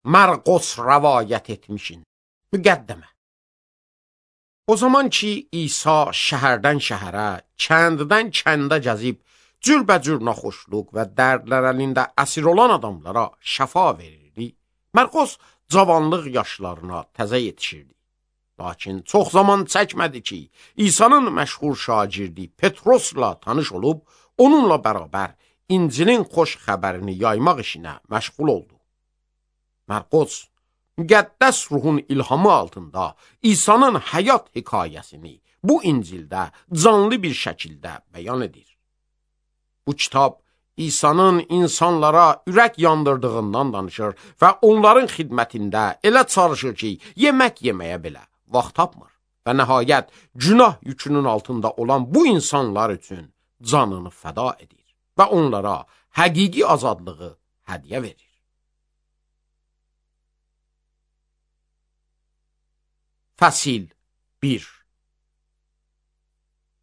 Marqos rəvayət etmişin. Müqəddəmə. O zaman ki, İsa şəhərdən şəhərə, kənddən kəndə gəzib, cürbəcür naxoşluq və dərdlər əlində əsir olan adamlara şəfa verirdi, Marqos cavanlıq yaşlarına təzə yetişirdi. Lakin çox zaman çəkmədi ki, İsa'nın məşhur şagirdi Petrosla tanış olub, onunla bərabər İncilin xoş xəbərini yaymaq işinə məşğul oldu. Marqos, müqəddəs ruhun ilhamı altında İsa'nın həyat hekayəsini bu İncildə canlı bir şəkildə bəyan edir. Bu kitab İsa'nın insanlara ürək yandırdığından danışır və onların xidmətində elə çalışır ki, yemək yeməyə belə vaxt tapmır və nəhayət günah yükünün altında olan bu insanlar üçün canını fəda edir və onlara həqiqi azadlığı hədiyyə verir. Fəsil 1.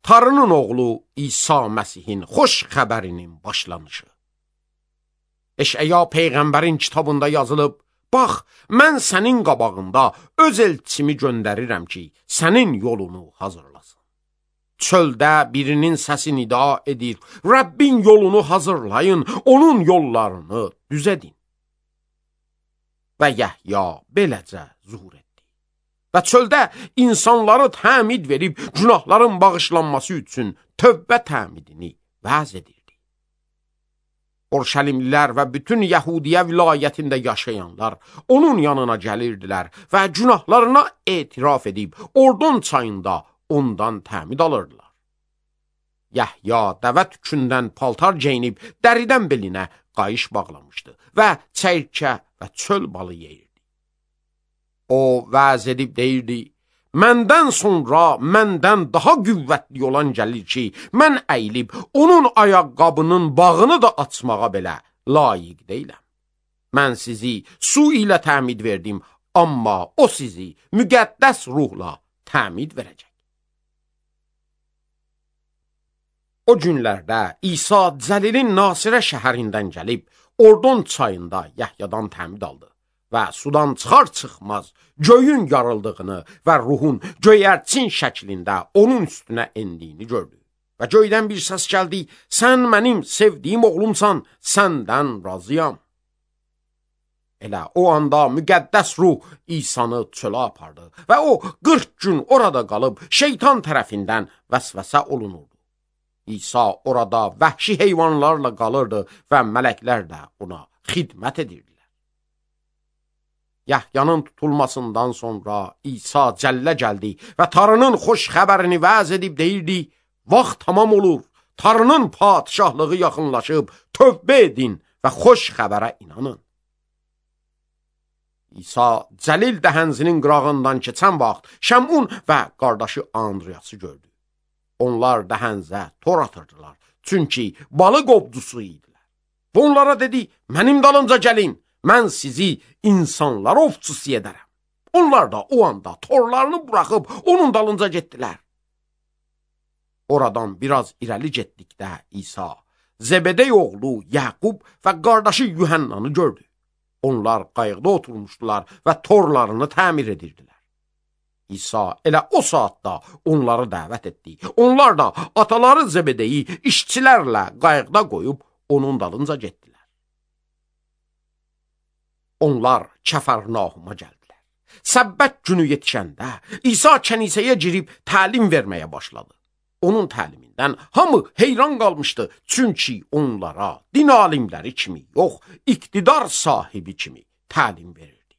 Tanrının oğlu İsa Məsihin xoş xəbərinin başlanışı. Eşəya Peyğəmbərin kitabında yazılıb, bax, mən sənin qabağında öz elçimi göndərirəm ki, sənin yolunu hazırlasın. Çöldə birinin səsi nida edir, Rəbbin yolunu hazırlayın, onun yollarını düz edin. Və Yəhya beləcə zuhur etdi. Və çöldə insanları təmid verib, günahların bağışlanması üçün tövbə təmidini vəz edirdi. Orşəlimlilər və bütün Yəhudiyə vilayətində yaşayanlar onun yanına gəlirdilər və günahlarına etiraf edib, Ordon çayında ondan təmid alırdılar. Yəhya dəvə tükündən paltar geyinib, dəridən belinə qayış bağlamışdı və çəyirkə və çöl balı yeyirdi. O vəz edib deyirdi, məndən sonra məndən daha qüvvətli olan gəlir ki, mən əyilib onun ayaqqabının bağını da açmağa belə layiq deyiləm. Mən sizi su ilə təmid verdim, amma o sizi müqəddəs ruhla təmid verəcək. O günlərdə İsa Cəlilin Nasirə şəhərindən gəlib, Ordon çayında Yəhyadan təmid aldı və sudan çıxar-çıxmaz göyün yarıldığını və ruhun göyərçin şəklində onun üstünə endiyini gördü. Və göydən bir səs gəldi, sən mənim sevdiyim oğlumsan, səndən razıyam. Elə o anda müqəddəs ruh İsa'nı çölə apardı və o 40 gün orada qalıb şeytan tərəfindən vəsvəsə olunurdu. İsa orada vəhşi heyvanlarla qalırdı və mələklər də ona xidmət edirdi. Yəhyanın tutulmasından sonra İsa cəllə gəldi və Tanrının xoş xəbərini vəz edib deyirdi, vaxt tamam olur, Tanrının padişahlığı yaxınlaşıb, tövbə edin və xoş xəbərə inanın. İsa Cəlil dəhənzinin qırağından keçən vaxt Şəmun və qardaşı Andriyası gördü. Onlar dəhənzə tor atırdılar, çünki balıq ovcusu idilər. Və onlara dedi, mənim dalınca gəlin, mən sizi insanlar ovçusu edərəm. Onlar da o anda torlarını buraxıb onun dalınca getdilər. Oradan biraz irəli getdikdə İsa, Zebedey oğlu Yaqub və qardaşı Yuhannanı gördü. Onlar qayıqda oturmuşdular və torlarını təmir edirdilər. İsa elə o saatda onları dəvət etdi. Onlar da ataları Zebedeyi işçilərlə qayıqda qoyub onun dalınca getdilər. Onlar Kəfərnahuma gəldilər. Səbbət günü yetişəndə İsa kənisəyə girib təlim verməyə başladı. Onun təlimindən hamı heyran qalmışdı, çünki onlara din alimləri kimi yox, iqtidar sahibi kimi təlim verirdi.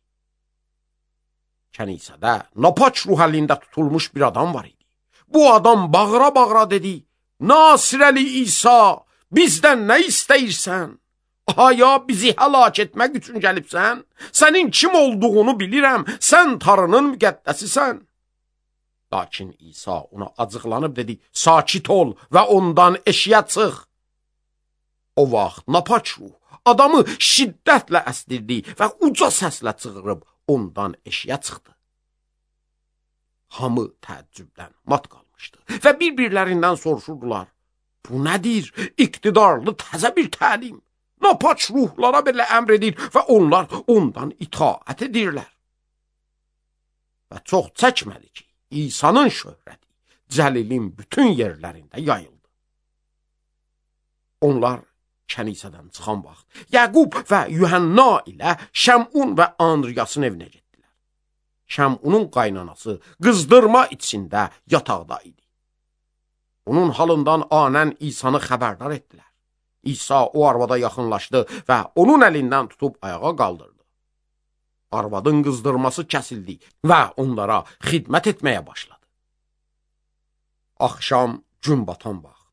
Kənisədə napaç ruh əlində tutulmuş bir adam var idi. Bu adam bağıra-bağıra dedi, Nasirəli İsa, bizdən nə istəyirsən? Aya bizi həlak etmək üçün gəlibsən? Sənin kim olduğunu bilirəm, sən Tanrının müqəddəsisən. Lakin İsa ona acıqlanıb dedi, sakit ol və ondan eşiyə çıx. O vaxt napaç ruh adamı şiddətlə əsdirdi və uca səslə çığırıb ondan eşiyə çıxdı. Hamı təəccübdən mat qalmışdı və bir-birlərindən soruşurdular, bu nədir? İqtidarlı təzə bir təlim. napaç ruhlara belə əmr edir və onlar ondan itaət edirlər. Və çox çəkmədi ki, İsa'nın şöhrəti Cəlilin bütün yerlərində yayıldı. Onlar kənisədən çıxan vaxt Yaqub və Yuhanna ilə Şəmun və Andriyasın evinə getdilər. Şəmunun qaynanası qızdırma içində yataqda idi. Onun halından anən İsa'nı xəbərdar etdilər. İsa o arvada yaxınlaşdı və onun əlindən tutub ayağa qaldırdı. Arvadın qızdırması kəsildi və onlara xidmət etməyə başladı. Axşam gün batan vaxt,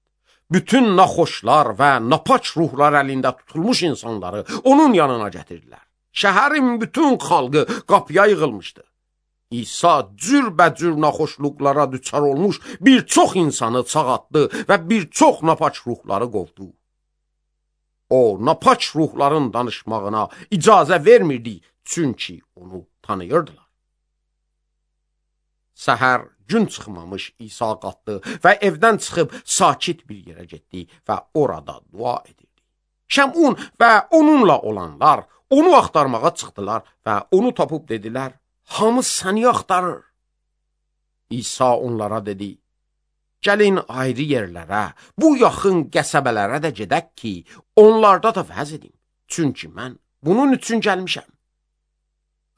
bütün naxoşlar və napaç ruhlar əlində tutulmuş insanları onun yanına gətirdilər. Şəhərin bütün xalqı qapıya yığılmışdı. İsa cürbəcür naxoşluqlara düçar olmuş bir çox insanı çağatdı və bir çox napaç ruhları qovdu. O, napaç ruhların danışmağına icazə vermirdi, çünki onu tanıyırdılar. Səhər gün çıxmamış İsa qalxdı və evdən çıxıb sakit bir yerə getdi və orada dua edirdi. Şəmun və onunla olanlar onu axtarmağa çıxdılar və onu tapıb dedilər, hamı səni axtarır. İsa onlara dedi, gəlin ayrı yerlərə, bu yaxın qəsəbələrə də gedək ki, onlarda da vəz edim, çünki mən bunun üçün gəlmişəm.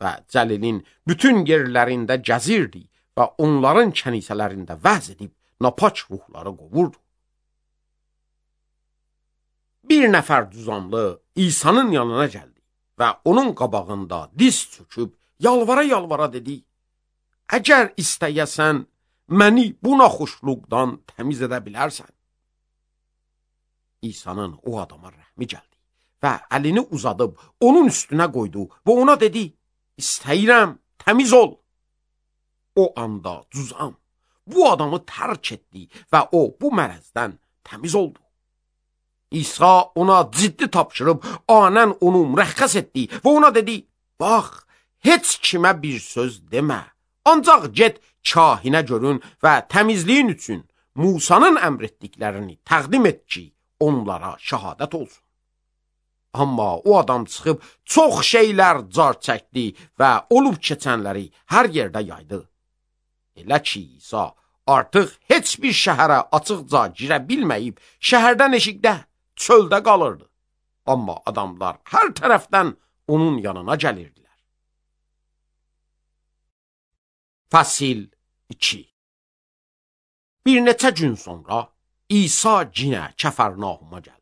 Və Cəlilin bütün yerlərində gəzirdi və onların kənisələrində vəz edib napaç ruhları qovurdu. Bir nəfər düzamlı İsa'nın yanına gəldi və onun qabağında diz çöküb yalvara-yalvara dedi, əgər istəyəsən, məni bu naxoşluqdan təmiz edə bilərsən. İsa'nın o adama rəhmi gəldi və əlini uzadıb onun üstünə qoydu və ona dedi, istəyirəm, təmiz ol. O anda cüzam bu adamı tərk etdi və o bu mərəzdən təmiz oldu. İsa ona ciddi tapşırıb anən onu mürəxxəs etdi və ona dedi, bax, heç kimə bir söz demə, ancaq get kahinə görün və təmizliyin üçün Musanın əmr etdiklərini təqdim et ki, onlara şəhadət olsun. Amma o adam çıxıb çox şeylər car çəkdi və olub keçənləri hər yerdə yaydı. Elə ki, İsa artıq heç bir şəhərə açıqca girə bilməyib, şəhərdən eşikdə, çöldə qalırdı. Amma adamlar hər tərəfdən onun yanına gəlirdilər. Fəsil 2. Bir neçə gün sonra İsa cinə Kəfərnauma gəldi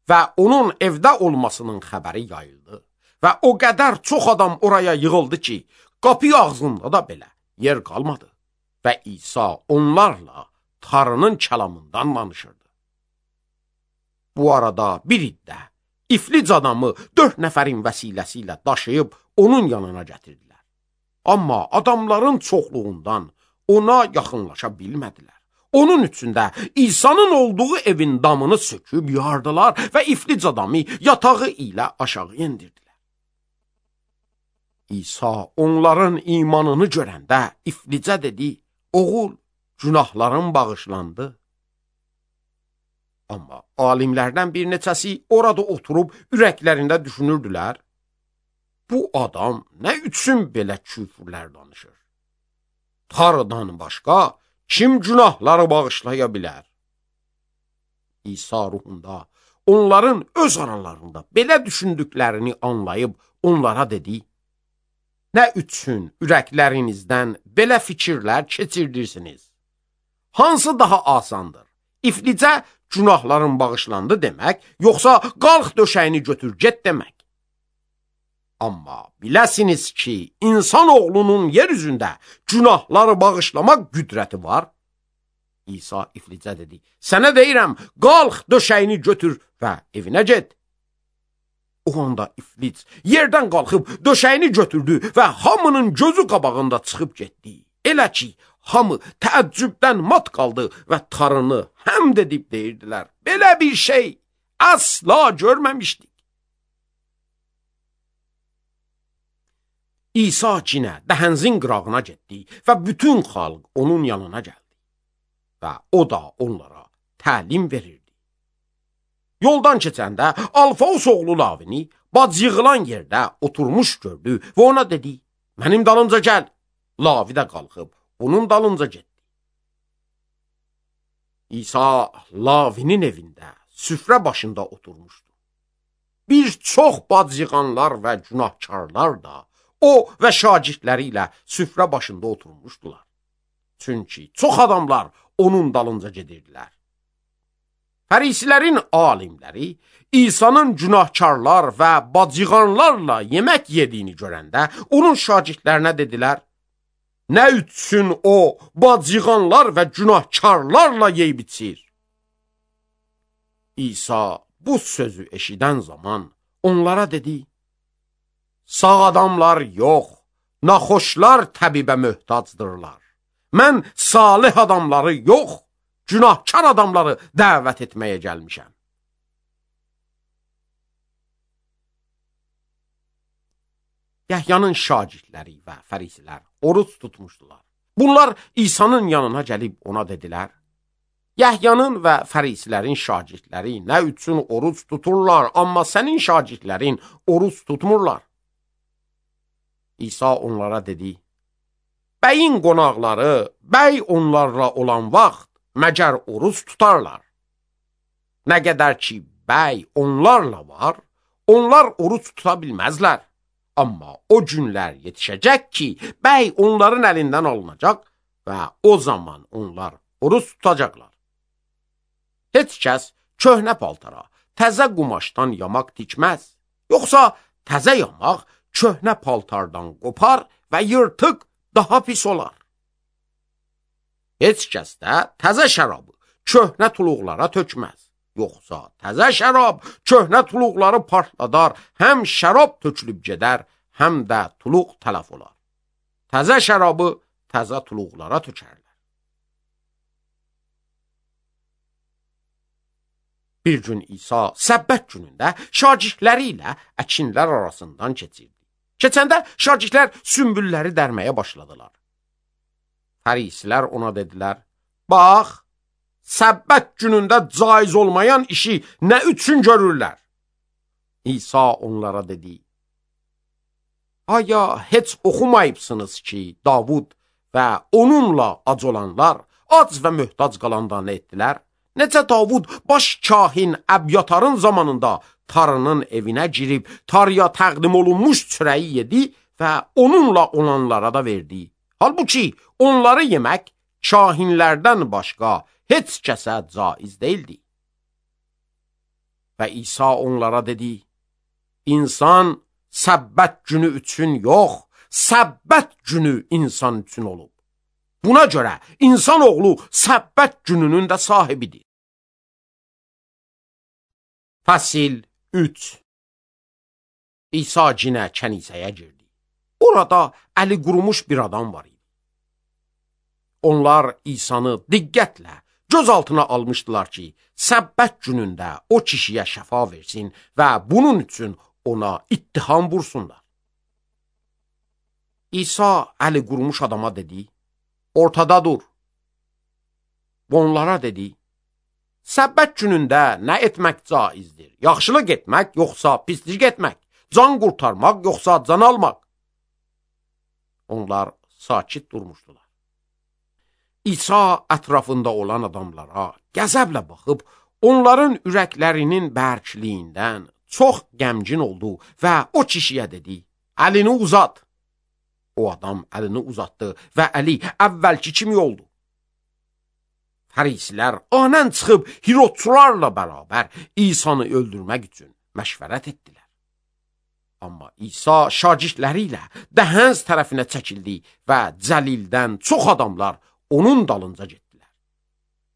və onun evdə olmasının xəbəri yayıldı və o qədər çox adam oraya yığıldı ki, qapı ağzında da belə yer qalmadı və İsa onlarla Tanrının kəlamından danışırdı. Bu arada bir iddə iflic adamı 4 nəfərin vəsiləsi ilə daşıyıb onun yanına gətirdilər. Amma adamların çoxluğundan ona yaxınlaşa bilmədilər. Onun üçün də İsa'nın olduğu evin damını söküb yardılar və iflic adamı yatağı ilə aşağı endirdilər. İsa onların imanını görəndə iflicə dedi, oğul, günahların bağışlandı. Amma alimlərdən bir neçəsi orada oturub ürəklərində düşünürdülər, bu adam nə üçün belə küfürlər danışır? Tanrıdan başqa kim günahları bağışlaya bilər? İsa ruhunda onların öz aralarında belə düşündüklərini anlayıb onlara dedi, nə üçün ürəklərinizdən belə fikirlər keçirdirsiniz? Hansı daha asandır? İflicə günahların bağışlandı demək, yoxsa qalx döşəyini götür get demək? Amma biləsiniz ki, insan oğlunun yer üzündə günahları bağışlamaq qüdrəti var. İsa iflicə dedi, sənə deyirəm, qalx döşəyini götür və evinə get. O anda iflic yerdən qalxıb döşəyini götürdü və hamının gözü qabağında çıxıb getdi. Elə ki, hamı təəccübdən mat qaldı və Tanrını həmd edib deyirdilər, belə bir şey asla görməmişdik. İsa cinə dəhənzin qırağına getdi və bütün xalq onun yanına gəldi və o da onlara təlim verirdi. Yoldan keçəndə Alfaus oğlu Lavini bac yığılan yerdə oturmuş gördü və ona dedi, mənim dalımca gəl. Lavi də qalxıb onun dalınca getdi. İsa Lavinin evində süfrə başında oturmuşdu. Bir çox bac yığanlar və günahkarlar da o və şagirdləri ilə süfrə başında oturmuşdular. Çünki çox adamlar onun dalınca gedirdilər. Fərisilərin alimləri İsa'nın günahkarlar və bacıqanlarla yemək yediyini görəndə onun şagirdlərinə dedilər, nə üçün o bacıqanlar və günahkarlarla yeyib içir? İsa bu sözü eşidən zaman onlara dedi, sağ adamlar yox, naxoşlar təbibə möhtacdırlar. Mən salih adamları yox, günahkar adamları dəvət etməyə gəlmişəm. Yəhyanın şagirdləri və fərisilər oruç tutmuşdular. Bunlar İsa'nın yanına gəlib ona dedilər, Yəhyanın və fərisilərin şagirdləri nə üçün oruç tuturlar, amma sənin şagirdlərin oruç tutmurlar? İsa onlara dedi, bəyin qonaqları, bəy onlarla olan vaxt məgər oruç tutarlar. Nə qədər ki, bəy onlarla var, onlar oruç tuta bilməzlər. Amma o günlər yetişəcək ki, bəy onların əlindən alınacaq və o zaman onlar oruç tutacaqlar. Heç kəs köhnə paltara, təzə qumaşdan yamaq tikməz. Yoxsa təzə yamaq köhnə paltardan qopar və yırtıq daha pis olar. Heç kəs də təzə şərabı köhnə tuluqlara tökməz. Yoxsa təzə şərab köhnə tuluqları partladar, həm şərab tökülüb gedər, həm də tuluq tələf olar. Təzə şərabı təzə tuluqlara tökərlər. Bir gün İsa səbbət günündə şagirdləri ilə əkinlər arasından keçirdi. Keçəndə şagirdlər sümbülləri dərməyə başladılar. Fərisilər ona dedilər, bax, səbbət günündə caiz olmayan işi nə üçün görürlər? İsa onlara dedi, aya heç oxumayıbsınız ki, Davud və onunla ac olanlar ac və möhtac qalanda nə etdilər? Necə Davud baş kahin Əbyatarın zamanında tarının evinə girib, tarıya təqdim olunmuş çörəyi yedi və onunla olanlara da verdi. Halbuki onları yemək kahinlərdən başqa heç kəsə caiz deyildi. Və İsa onlara dedi, İnsan səbbət günü üçün yox, səbbət günü insan üçün olub. Buna görə insanoğlu səbbət gününün də sahibidir. Fəsil 3. İsa cinə kənisəyə girdi. Orada əli qurumuş bir adam var idi. Onlar İsa'nı diqqətlə göz altına almışdılar ki, səbbət günündə o kişiyə şəfa versin və bunun üçün ona ittiham vursunlar. İsa əli qurumuş adama dedi, ortada dur. Onlara dedi, səbbət günündə nə etmək caizdir? Yaxşılıq etmək, yoxsa pislik etmək? Can qurtarmaq, yoxsa can almaq? Onlar sakit durmuşdular. İsa ətrafında olan adamlara qəzəblə baxıb, onların ürəklərinin bərkliyindən çox qəmgin oldu və o kişiyə dedi, əlini uzat. O adam əlini uzatdı və əli əvvəlki kimi oldu. Fərisilər anən çıxıb Hirodçularla bərabər İsa'nı öldürmək üçün məşvərət etdilər. Amma İsa şagirdləri ilə Dəhənz tərəfinə çəkildi və Cəlildən çox adamlar onun dalınca getdilər.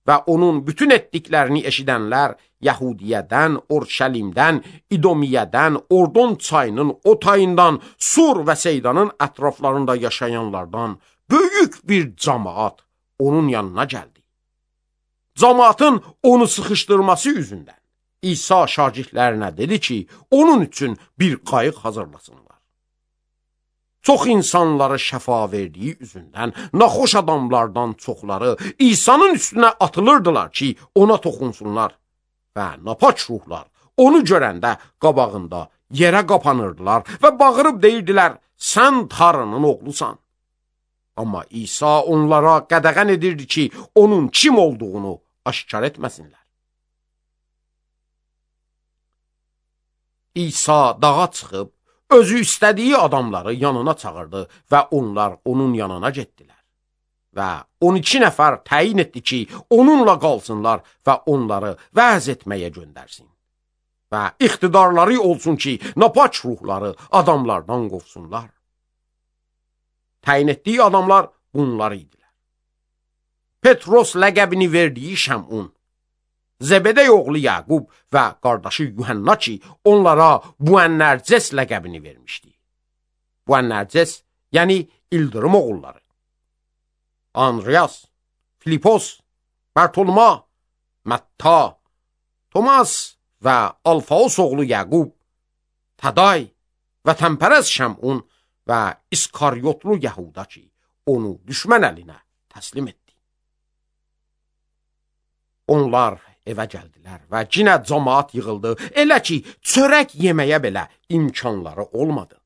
Və onun bütün etdiklərini eşidənlər Yəhudiyədən, Orşəlimdən, İdomiyədən, Ordon çayının o tayından, Sur və Seydanın ətraflarında yaşayanlardan böyük bir cəmaat onun yanına gəldi. Cəmaatın onu sıxışdırması üzündən İsa şagirdlərinə dedi ki, onun üçün bir qayıq hazırlasınlar. Çox insanları şəfa verdiyi üzündən naxoş adamlardan çoxları İsa'nın üstünə atılırdılar ki, ona toxunsunlar. və napaç ruhlar onu görəndə qabağında yerə qapanırdılar və bağırıb deyirdilər, sən Tanrının oğlusan. Amma İsa onlara qədəğən edirdi ki, onun kim olduğunu aşkar etməsinlər. İsa dağa çıxıb, özü istədiyi adamları yanına çağırdı və onlar onun yanına getdilər. Və 12 nəfər təyin etdi ki, onunla qalsınlar və onları vəz etməyə göndərsin. Və iqtidarları olsun ki, napaç ruhları adamlardan qovsunlar. Təyin etdiyi adamlar bunlar idilər. Petros ləqəbini verdiyi Şəmun, Zebedey oğlu Yaqub və qardaşı Yuhanna ki, onlara Boanerges ləqəbini vermişdi. Boanerges, yəni İldırım oğulları. Andreas, Filipos, Bartoloma, Matta, Tomas və Alfaos oğlu Yaqub, Taday və Təmpərəz Şəmun və İskaryotlu Yahuda ki, onu düşmən əlinə təslim etdi. Onlar evə gəldilər və cinə cəmaat yığıldı, elə ki, çörək yeməyə belə imkanları olmadı.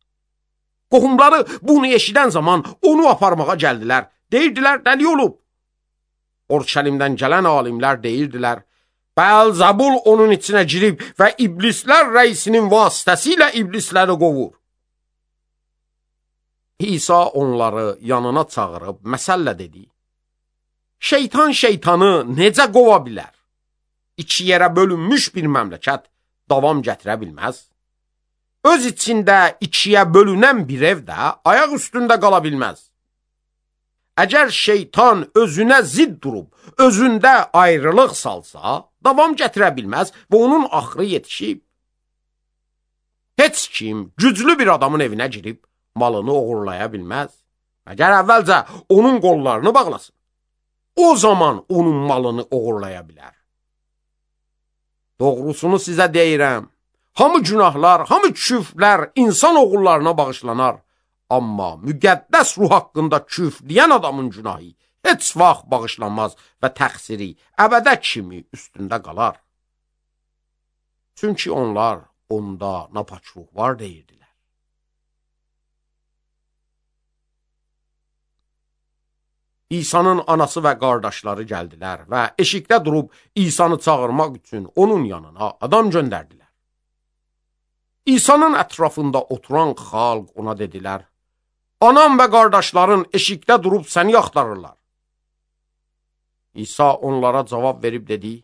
Qohumları bunu eşidən zaman onu aparmağa gəldilər, deyirdilər, dəli olub. Orşəlimdən gələn alimlər deyirdilər, Bəl-Zəbul onun içinə girib və iblislər rəisinin vasitəsilə iblisləri qovur. İsa onları yanına çağırıb məsəllə dedi, şeytan şeytanı necə qova bilər? İki yerə bölünmüş bir məmləkət davam gətirə bilməz. Öz içində ikiyə bölünən bir ev də ayaq üstündə qala bilməz. Əgər şeytan özünə zidd durub, özündə ayrılıq salsa, davam gətirə bilməz və onun axırı yetişib. Heç kim güclü bir adamın evinə girib, malını oğurlaya bilməz. Əgər əvvəlcə onun qollarını bağlasın, o zaman onun malını oğurlaya bilər. Doğrusunu sizə deyirəm, hamı günahlar, hamı küfrlər insan oğullarına bağışlanar. Amma müqəddəs ruh haqqında küfr deyən adamın günahı heç vaxt bağışlanmaz və təqsiri əbədə kimi üstündə qalar. Çünki onlar onda napaç ruh var deyirdilər. İsa'nın anası və qardaşları gəldilər və eşikdə durub İsa'nı çağırmaq üçün onun yanına adam göndərdilər. İsa'nın ətrafında oturan xalq ona dedilər, anam və qardaşların eşikdə durub səni axtarırlar. İsa onlara cavab verib dedi,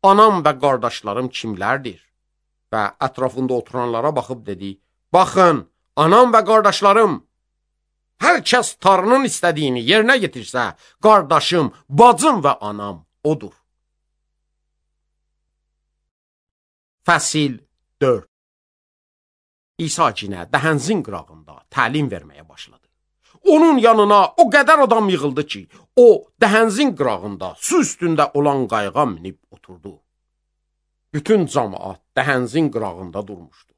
anam və qardaşlarım kimlərdir? Və ətrafında oturanlara baxıb dedi, baxın, anam və qardaşlarım, hər kəs Tanrının istədiyini yerinə yetirsə, qardaşım, bacım və anam odur. Fəsil 4. İsa cinə dəhənzin qırağında təlim verməyə başladı. Onun yanına o qədər adam yığıldı ki, o dəhənzin qırağında su üstündə olan qayığa minib oturdu. Bütün cəmaat dəhənzin qırağında durmuşdu.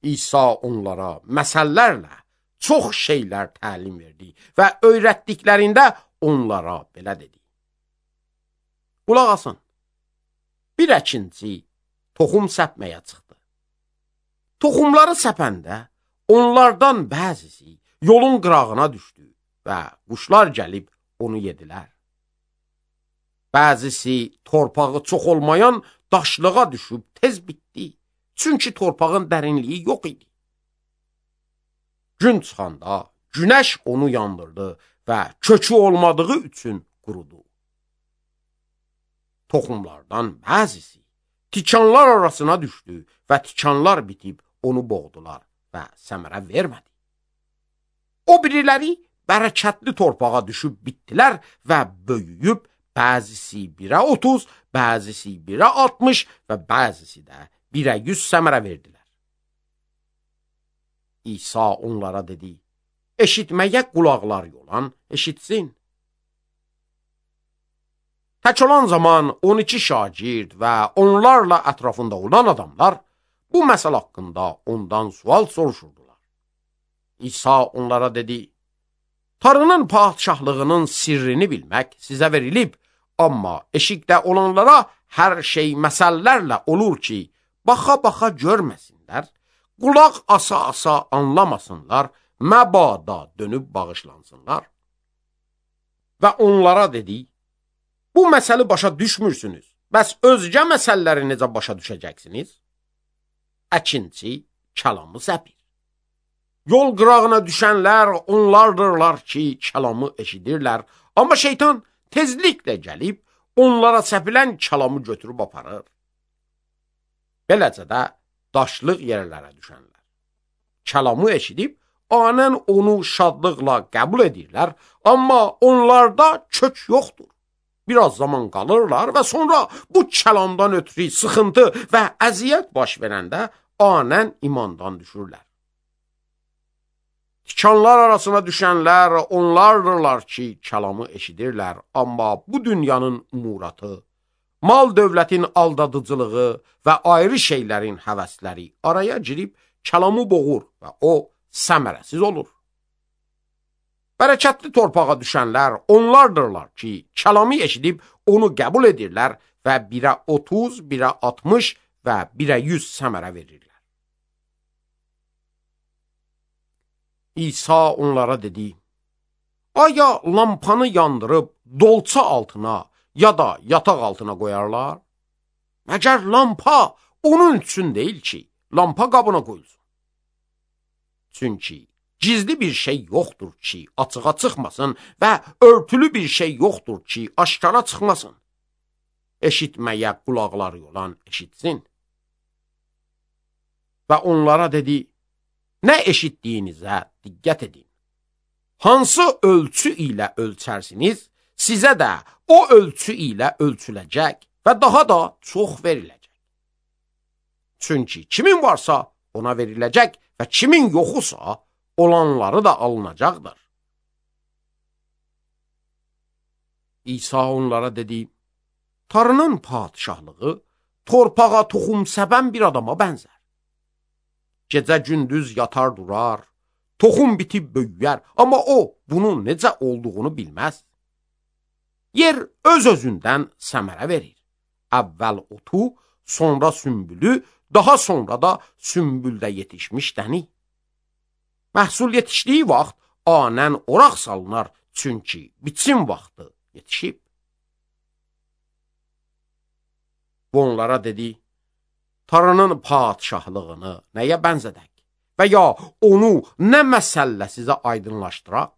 İsa onlara məsəllərlə çox şeylər təlim verdi və öyrətdiklərində onlara belə dedi. Qulaq asın, bir əkinçi toxum səpməyə çıxdı. Toxumları səpəndə onlardan bəzisi yolun qırağına düşdü və quşlar gəlib onu yedilər. Bəzisi torpağı çox olmayan daşlığa düşüb tez bitdi, çünki torpağın dərinliyi yox idi. Gün çıxanda günəş onu yandırdı və kökü olmadığı üçün qurudu. Toxumlardan bəzisi tikanlar arasına düşdü və tikanlar bitib onu boğdular və səmərə vermədi. O biriləri bərəkətli torpağa düşüb bitdilər və böyüyüb bəzisi 1'ə 30, bəzisi 1'ə 60 və bəzisi də 1'ə 100 səmərə verdilər. İsa onlara dedi, eşitməyə qulaqlar yolan eşitsin. Tək olan zaman 12 şagird və onlarla ətrafında olan adamlar bu məsələ haqqında ondan sual soruşurdular. İsa onlara dedi, Tanrının padşahlığının sirrini bilmək sizə verilib, amma eşikdə olanlara hər şey məsəllərlə olur ki, baxa-baxa görməsinlər, qulaq asa-asa anlamasınlar, məbada dönüb bağışlansınlar. Və onlara dedik, bu məsəli başa düşmürsünüz, bəs özgə məsələləri necə başa düşəcəksiniz? Əkinçi kəlamı səpir. Yol qırağına düşənlər onlardırlar ki, kəlamı eşidirlər, amma şeytan tezliklə gəlib, onlara səpilən kəlamı götürüb aparır. Beləcə də daşlıq yerlərə düşənlər. Kəlamı eşidib, anən onu şadlıqla qəbul edirlər, amma onlarda kök yoxdur. Biraz zaman qalırlar və sonra bu kəlamdan ötürü sıxıntı və əziyyət baş verəndə anən imandan düşürlər. Tikanlar arasına düşənlər onlardırlar ki, kəlamı eşidirlər, amma bu dünyanın umuratı, mal dövlətin aldadıcılığı və ayrı şeylərin həvəsləri araya girib kəlamı boğur və o səmərəsiz olur. Bərəkətli torpağa düşənlər onlardırlar ki, kəlamı eşidib onu qəbul edirlər və birə 30, birə 60 və birə 100 səmərə verirlər. İsa onlara dedi, aya lampanı yandırıb dolça altına ya da yataq altına qoyarlar? Məgər lampa onun üçün deyil ki, lampa qabına qoyulsun. Çünki gizli bir şey yoxdur ki, açığa çıxmasın və örtülü bir şey yoxdur ki, aşkara çıxmasın. Eşitməyə qulaqları olan eşitsin. Və onlara dedi, nə eşitdiyinizə diqqət edin. Hansı ölçü ilə ölçərsiniz, sizə də o ölçü ilə ölçüləcək və daha da çox veriləcək. Çünki kimin varsa ona veriləcək və kimin yoxusa olanları da alınacaqdır. İsa onlara dedi, Tanrının padişahlığı torpağa toxum səbən bir adama bənzər. Gecə gündüz yatar durar, toxum bitib böyüyər, amma o bunun necə olduğunu bilməz. Yer öz-özündən səmərə verir. Əvvəl otu, sonra sümbülü, daha sonra da sümbüldə yetişmiş dəni. Məhsul yetişdiyi vaxt anən oraq salınar, çünki biçim vaxtı yetişib. Bu onlara dedi, Tanrının padişahlığını nəyə bənzədək və ya onu nə məsəllə sizə aydınlaşdıraq?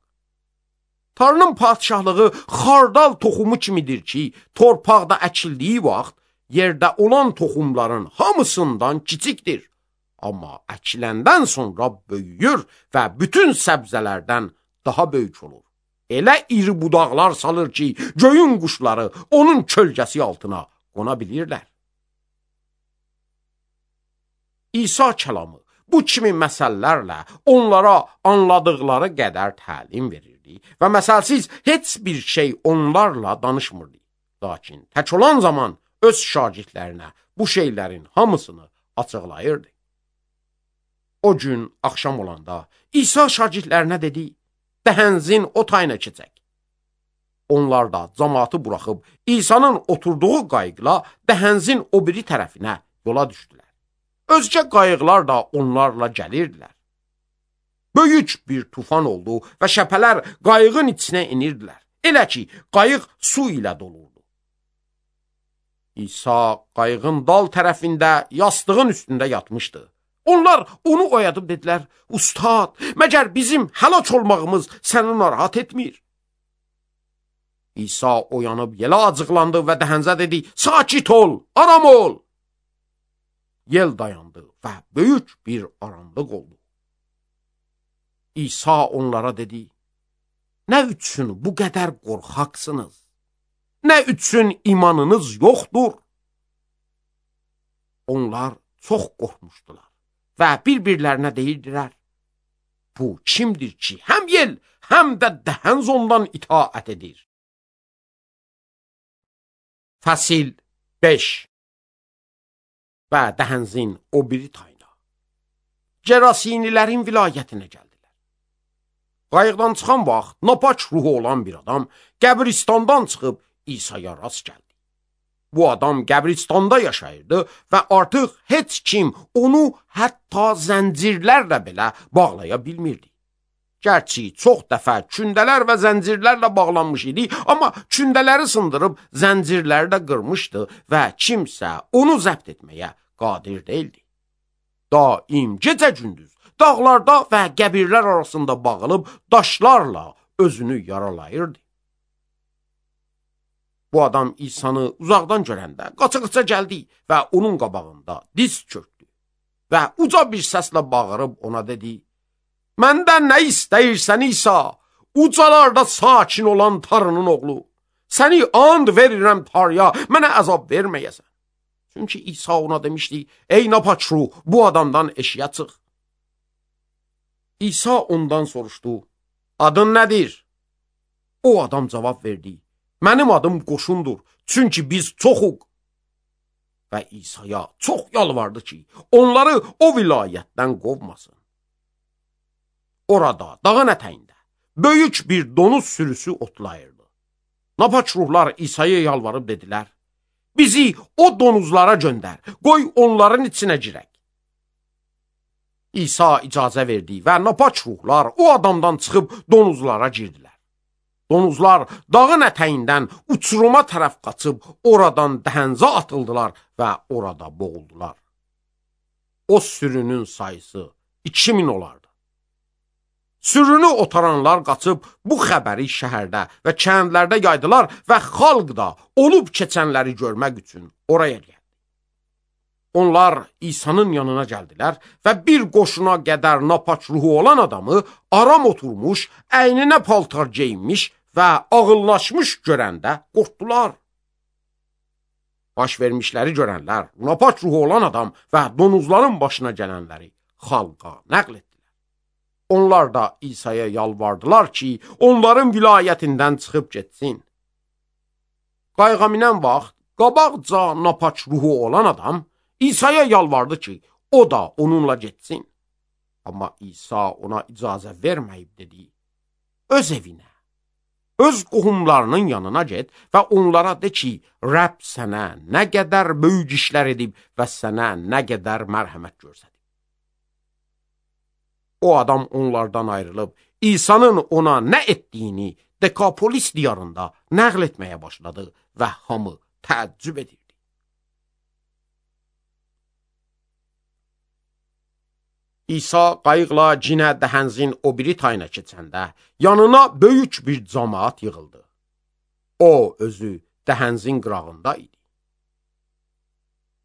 Tanrının padişahlığı xardal toxumu kimidir ki, torpaqda əkildiyi vaxt yerdə olan toxumların hamısından kiçikdir. Amma əkiləndən sonra böyüyür və bütün səbzələrdən daha böyük olur. Elə iri budaqlar salır ki, göyün quşları onun kölgəsi altına qona bilirlər. İsa kəlamı bu kimi məsəllərlə onlara anladıqları qədər təlim verirdi və məsəlsiz heç bir şey onlarla danışmırdı. Lakin tək olan zaman öz şagirdlərinə bu şeylərin hamısını açıqlayırdı. O gün axşam olanda İsa şagirdlərinə dedi, dəhənzin o tayına keçək. Onlar da cəmaatı buraxıb İsa'nın oturduğu qayıqla dəhənzin o biri tərəfinə yola düşdülər. Özgə qayıqlar da onlarla gəlirdilər. Böyük bir tufan oldu və şəpələr qayığın içinə inirdilər. Elə ki, qayıq su ilə dolurdu. İsa qayığın dal tərəfində yastığın üstündə yatmışdı. Onlar onu oyadıb dedilər, Ustad, məgər bizim həlak olmağımız səni narahat etmir? İsa oyanıb yelə acıqlandı və dəhənzə dedi, sakit ol, aram ol. Yel dayandı və böyük bir aramlıq oldu. İsa onlara dedi, nə üçün bu qədər qorxaqsınız? Nə üçün imanınız yoxdur? Onlar çox qorxmuşdular və bir-birlərinə deyirdilər, bu kimdir ki, həm yel, həm də dəhənz ondan itaət edir? Fəsil 5 və dəhənzin o biri tayına, Gerasinilərin vilayətinə gəldilər. Qayıqdan çıxan vaxt napaç ruhu olan bir adam qəbristandan çıxıb İsa'ya rast gəldi. Bu adam qəbristanda yaşayırdı və artıq heç kim onu hətta zəncirlərlə belə bağlaya bilmirdi. Gərçi çox dəfə kündələr və zəncirlərlə bağlanmış idi, amma kündələri sındırıb zəncirləri də qırmışdı və kimsə onu zəbt etməyə qadir deyildi. Daim gecə-gündüz dağlarda və qəbirlər arasında bağılıb daşlarla özünü yaralayırdı. Bu adam İsa'nı uzaqdan görəndə qaça-qaça gəldi və onun qabağında diz çökdü və uca bir səslə bağırıb ona dedi: "Məndən nə istəyirsən İsa, ucalarda sakin olan Tanrının oğlu? Səni and verirəm Tanrıya, mənə əzab verməyəsən." Çünki İsa ona demişdi: "Ey napaç ruh, bu adamdan eşiyə çıx." İsa ondan soruşdu: "Adın nədir?" O adam cavab verdi: "Mənim adım Qoşundur, çünki biz çoxuq." Və İsa'ya çox yalvardı ki, onları o vilayətdən qovmasın. Orada, dağın ətəyində, böyük bir donuz sürüsü otlayırdı. Napaç ruhlar İsa'ya yalvarıb dedilər: "Bizi o donuzlara göndər, qoy onların içinə girək." İsa icazə verdi və napaç ruhlar o adamdan çıxıb donuzlara girdilər. Donuzlar dağın ətəyindən uçuruma tərəf qaçıb oradan dəhənzə atıldılar və orada boğuldular. O sürünün sayısı 2000 olardı. Sürünü otaranlar qaçıb bu xəbəri şəhərdə və kəndlərdə yaydılar və xalq da olub keçənləri görmək üçün oraya gəldi. Onlar İsa'nın yanına gəldilər və bir qoşuna qədər napaç ruhu olan adamı aram oturmuş, əyninə paltar geyinmiş və ağıllaşmış görəndə qorxdular. Baş vermişləri görənlər, napaç ruhu olan adam və donuzların başına gələnləri xalqa nəql etdilər. Onlar da İsa'ya yalvardılar ki, onların vilayətindən çıxıb getsin. Qayığa minən vaxt, qabaqca napaç ruhu olan adam İsa'ya yalvardı ki, o da onunla getsin. Amma İsa ona icazə verməyib dedi: "Öz evinə, öz qohumlarının yanına get və onlara de ki, Rəbb sənə nə qədər böyük işlər edib və sənə nə qədər mərhəmət göstərib." O adam onlardan ayrılıb İsa'nın ona nə etdiyini Dekapolis diyarında nəql etməyə başladı və hamı təəccüb edirdi. İsa qayıqla cinə dəhənzin o biri tayına keçəndə yanına böyük bir camaat yığıldı. O özü dəhənzin qırağında idi.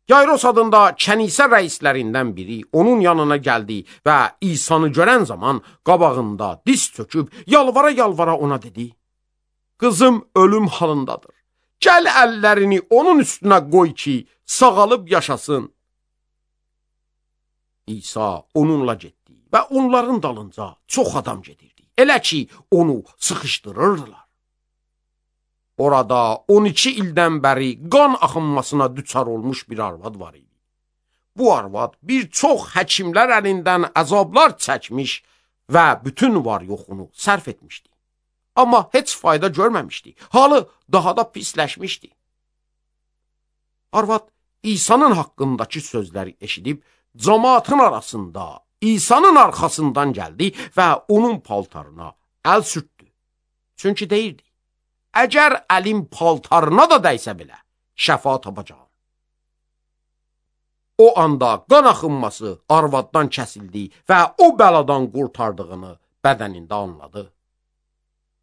Yayros adında kənisə rəislərindən biri onun yanına gəldi və İsa'nı görən zaman qabağında diz çöküb yalvara-yalvara ona dedi: "Qızım ölüm halındadır. Gəl əllərini onun üstünə qoy ki, sağalıb yaşasın." İsa onunla getdi və onların dalınca çox adam gedirdi. Elə ki, onu sıxışdırırdılar. Orada 12 ildən bəri qan axınmasına düçar olmuş bir arvad var idi. Bu arvad bir çox həkimlər əlindən əzablar çəkmiş və bütün var-yoxunu sərf etmişdi. Amma heç fayda görməmişdi. Halı daha da pisləşmişdi. Arvad İsa'nın haqqındakı sözləri eşidib, cemaatın arasında İsa'nın arxasından gəldi və onun paltarına əl sürtdü. Çünki deyirdi: "Əgər əlim paltarına da dəysə belə, şəfa tapacağam." O anda qan axınması arvaddan kəsildi və o bəladan qurtardığını bədənində anladı.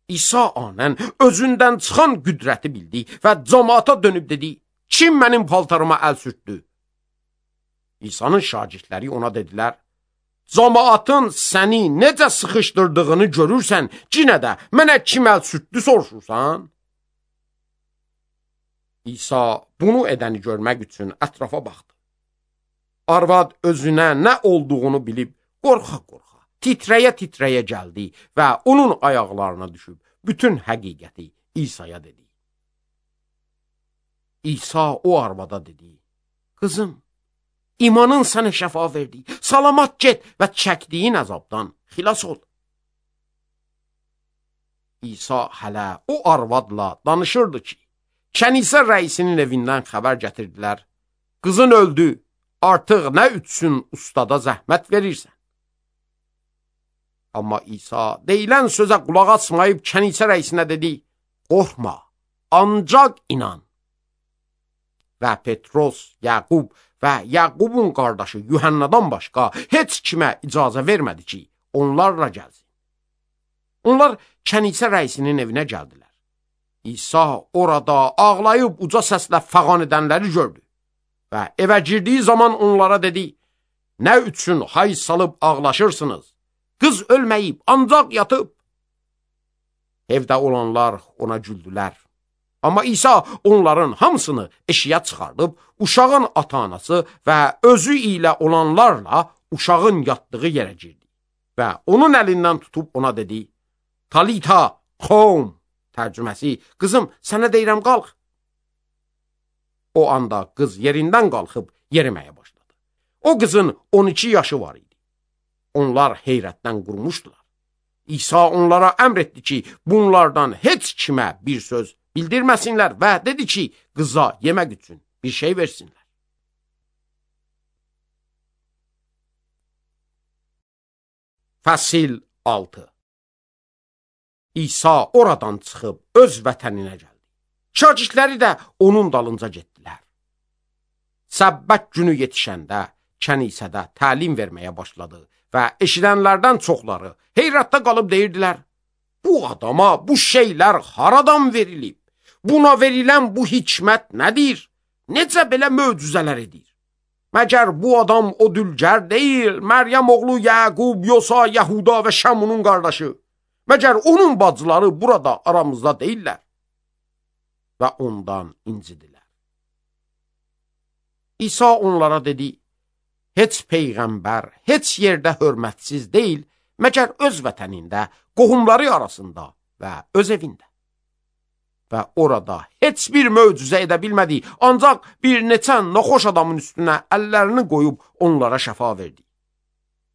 İsa anən özündən çıxan qüdrəti bildi və cemaata dönüb dedi: "Kim mənim paltarıma əl sürtdü?" İsa'nın şagirdləri ona dedilər: "Cemaatın səni necə sıxışdırdığını görürsən, yenə də mənə kim əl sürtdü soruşursan?" İsa bunu edəni görmək üçün ətrafa baxdı. Arvad özünə nə olduğunu bilib qorxa-qorxa, titrəyə-titrəyə gəldi və onun ayaqlarına düşüb bütün həqiqəti İsa'ya dedi. İsa o arvada dedi: "Qızım, İmanın sənə şəfa verdi. Salamat get və çəkdiyin əzabdan xilas ol." İsa hələ o arvadla danışırdı ki, kənisə rəisinin evindən xəbər gətirdilər. Qızın öldü, artıq nə üçün ustada zəhmət verirsən? Amma İsa deyilən sözə qulaq asmayıb kənisə rəisinə dedi, qorxma, ancaq inan. Və Petros, Yaqub və Yaqubun qardaşı Yuhannadan başqa heç kimə icazə vermədi ki, onlarla gəlsin. Onlar kənisə rəisinin evinə gəldilər. İsa orada ağlayıb uca səslə fəğan edənləri gördü və evə girdiyi zaman onlara dedi, nə üçün hay salıb ağlaşırsınız? Qız ölməyib, ancaq yatıb. Evdə olanlar ona güldülər. Amma İsa onların hamısını eşiyə çıxardıb, uşağın ata-anası və özü ilə olanlarla uşağın yatdığı yerə girdi. Və onun əlindən tutub ona dedi, Talita, xom, tərcüməsi, qızım, sənə deyirəm, qalx. O anda qız yerindən qalxıb yeriməyə başladı. O qızın 12 yaşı var idi. Onlar heyrətdən qurmuşdular. İsa onlara əmr etdi ki, bunlardan heç kimə bir söz bildirməsinlər və dedi ki, qıza yemək üçün bir şey versinlər. Fəsil 6. İsa oradan çıxıb öz vətəninə gəldi. Şagirdləri də onun dalınca getdilər. Səbbət günü yetişəndə kənisədə təlim verməyə başladı və eşidənlərdən çoxları heyrətdə qalıb deyirdilər, bu adama bu şeylər haradan verilib? Buna verilən bu hikmət nədir? Necə belə möcüzələr edir? Məgər bu adam o dülgər deyil, Məryəm oğlu Yaqub, Yosa, Yahuda və Şamunun qardaşı? Məgər onun bacıları burada aramızda deyirlər? Və ondan incidilər. İsa onlara dedi, heç peyğəmbər, heç yerdə hörmətsiz deyil, məgər öz vətənində, qohumları arasında və öz evində. Və orada heç bir möcüzə edə bilmədi, ancaq bir neçə naxoş adamın üstünə əllərini qoyub onlara şəfa verdi.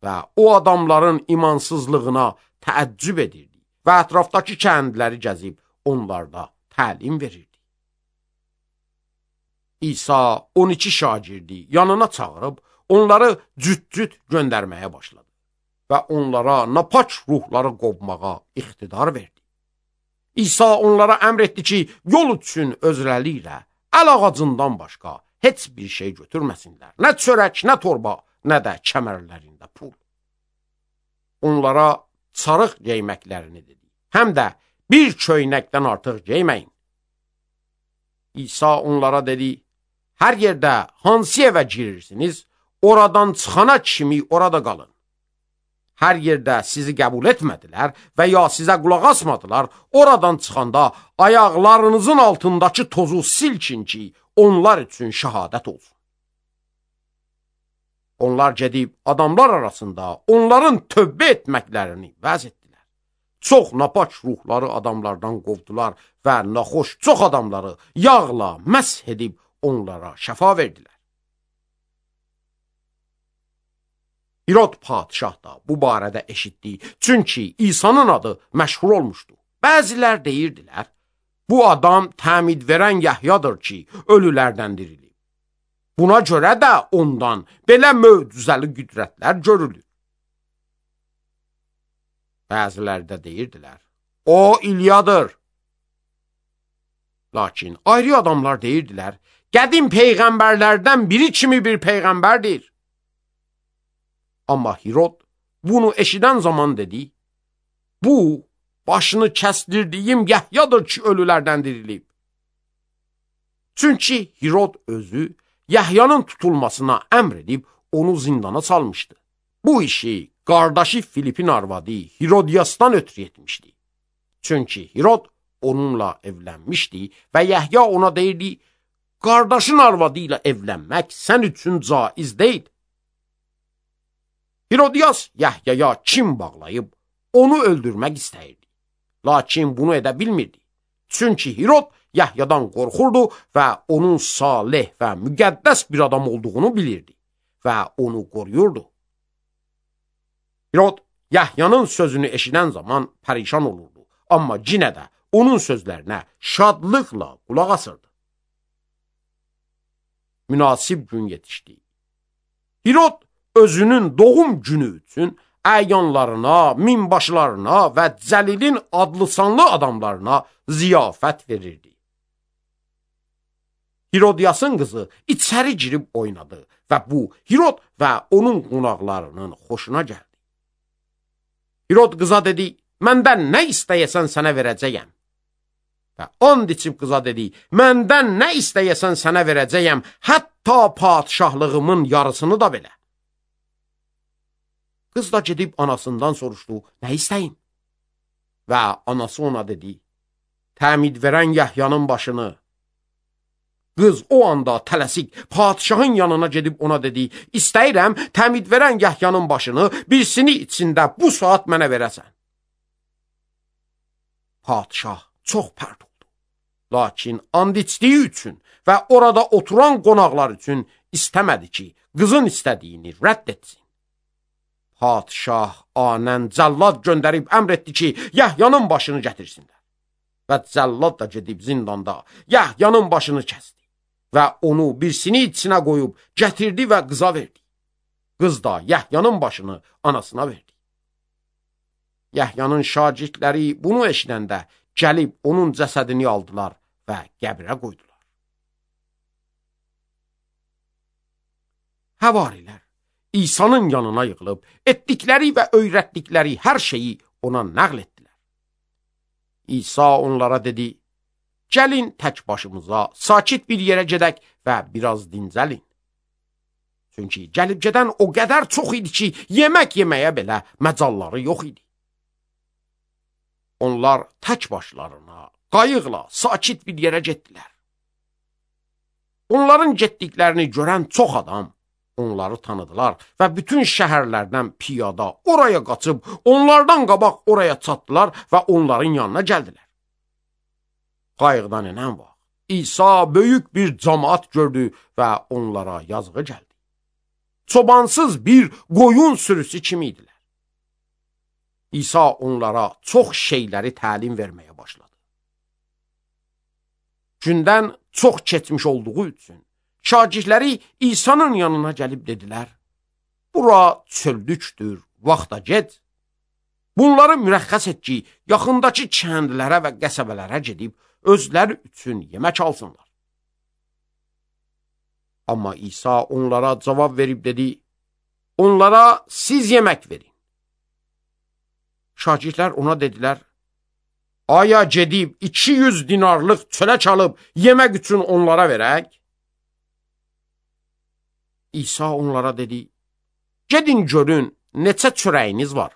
Və o adamların imansızlığına təəccüb edirdi və ətrafdakı kəndləri gəzib onlarda təlim verirdi. İsa 12 şagirdi yanına çağırıb, onları cüt-cüt göndərməyə başladı və onlara napaç ruhları qovmağa iqtidar verdi. İsa onlara əmr etdi ki, yol üçün özləri ilə əl ağacından başqa heç bir şey götürməsinlər. Nə çörək, nə torba, nə də kəmərlərində pul. Onlara sarıq geyməklərini dedi. Həm də bir köynəkdən artıq geyməyin. İsa onlara dedi, hər yerdə hansı evə girirsiniz, oradan çıxana kimi orada qalın. Hər yerdə sizi qəbul etmədilər və ya sizə qulaq asmadılar, oradan çıxanda ayaqlarınızın altındakı tozu silkin ki, onlar üçün şəhadət olsun. Onlar gedib adamlar arasında onların tövbə etməklərini vəz etdilər. Çox napaç ruhları adamlardan qovdular və naxoş çox adamları yağla məsh edib onlara şəfa verdilər. İrod padişah da bu barədə eşitdi, çünki İsa'nın adı məşhur olmuşdu. Bəzilər deyirdilər, bu adam təmid verən Yahyadır ki, ölülərdən dirilib. Buna görə də ondan belə möcüzəli qüdrətlər görülür. Bəzilər də deyirdilər, o İlyadır. Lakin ayrı adamlar deyirdilər, qədim peyğəmbərlərdən biri kimi bir peyğəmbərdir. Amma Hirod bunu eşidən zaman dedi, bu başını kəsdirdiyim Yahyadır ki, ölülərdən dirilib. Çünki Hirod özü Yahyanın tutulmasına əmr edib onu zindana salmışdı. Bu işi qardaşı Filipin arvadı Hirodiyasdan ötürü etmişdi. Çünki Hirod onunla evlənmişdi və Yahya ona deyirdi, qardaşın arvadı ilə evlənmək sən üçün caiz deyil. Hirodiyas Yahyaya kim bağlayıb onu öldürmək istəyirdi. Lakin bunu edə bilmirdi. Çünki Hirod Yahyadan qorxurdu və onun salih və müqəddəs bir adam olduğunu bilirdi və onu qoruyurdu. Hirod Yahyanın sözünü eşidən zaman pərişan olurdu, amma yenə də onun sözlərinə şadlıqla qulaq asırdı. münasib gün yetişdi. Hirod özünün doğum günü üçün əyanlarına, minbaşlarına və Cəlilin adlı-sanlı adamlarına ziyafət verirdi. Hirodiasın qızı içəri girib oynadı və bu Hirod və onun qonaqlarının xoşuna gəldi. Hirod qıza dedi, məndən nə istəyəsən sənə verəcəyəm. Və and içib qıza dedi, məndən nə istəyəsən sənə verəcəyəm, hətta padişahlığımın yarısını da belə. Qız da gedib anasından soruşdu, nə istəyim? Və anası ona dedi, təmid verən Yahyanın başını. Qız o anda tələsik padişahın yanına gedib ona dedi, istəyirəm təmid verən Yahyanın başını birisini içində bu saat mənə verəsən. Padişah çox pərt oldu. Lakin and içdiyi üçün və orada oturan qonaqlar üçün istəmədi ki, qızın istədiyini rədd etsin. Padişah anən cəllad göndərib əmr etdi ki, Yahyanın başını gətirsinlər. Və cəllad da gedib zindanda Yahyanın başını kəsdi. Və onu birisini içinə qoyub gətirdi və qıza verdi. Qız da Yahyanın başını anasına verdi. Yahyanın şagirdləri bunu eşidəndə gəlib onun cəsədini aldılar və qəbrə qoydular. Həvarilər İsa'nın yanına yığılıb, etdikləri və öyrətdikləri hər şeyi ona nəql etdilər. İsa onlara dedi, gəlin tək başımıza, sakit bir yerə gedək və biraz dincəlin. Çünki gəlib gedən o qədər çox idi ki, yemək yeməyə belə məcalları yox idi. Onlar tək başlarına, qayıqla sakit bir yerə getdilər. Onların getdiklərini görən çox adam onları tanıdılar və bütün şəhərlərdən piyada oraya qaçıb, onlardan qabaq oraya çatdılar və onların yanına gəldilər. Qayıqdan enən vaxt İsa böyük bir cəmaat gördü və onlara yazığı gəldi. Çobansız bir qoyun sürüsü kimi idilər. İsa onlara çox şeyləri təlim verməyə başladı. Gündən çox keçmiş olduğu üçün şagirdləri İsa'nın yanına gəlib dedilər, bura çöldükdür, vaxta get. Bunları mürəxxəs et ki, yaxındakı kəndlərə və qəsəbələrə gedib, özləri üçün yemək alsınlar. Amma İsa onlara cavab verib dedi, onlara siz yemək verin. Şagirdlər ona dedilər, aya gedib 200 dinarlıq çölə çalıb yemək üçün onlara verək? İsa onlara dedi, gedin görün, neçə çörəyiniz var?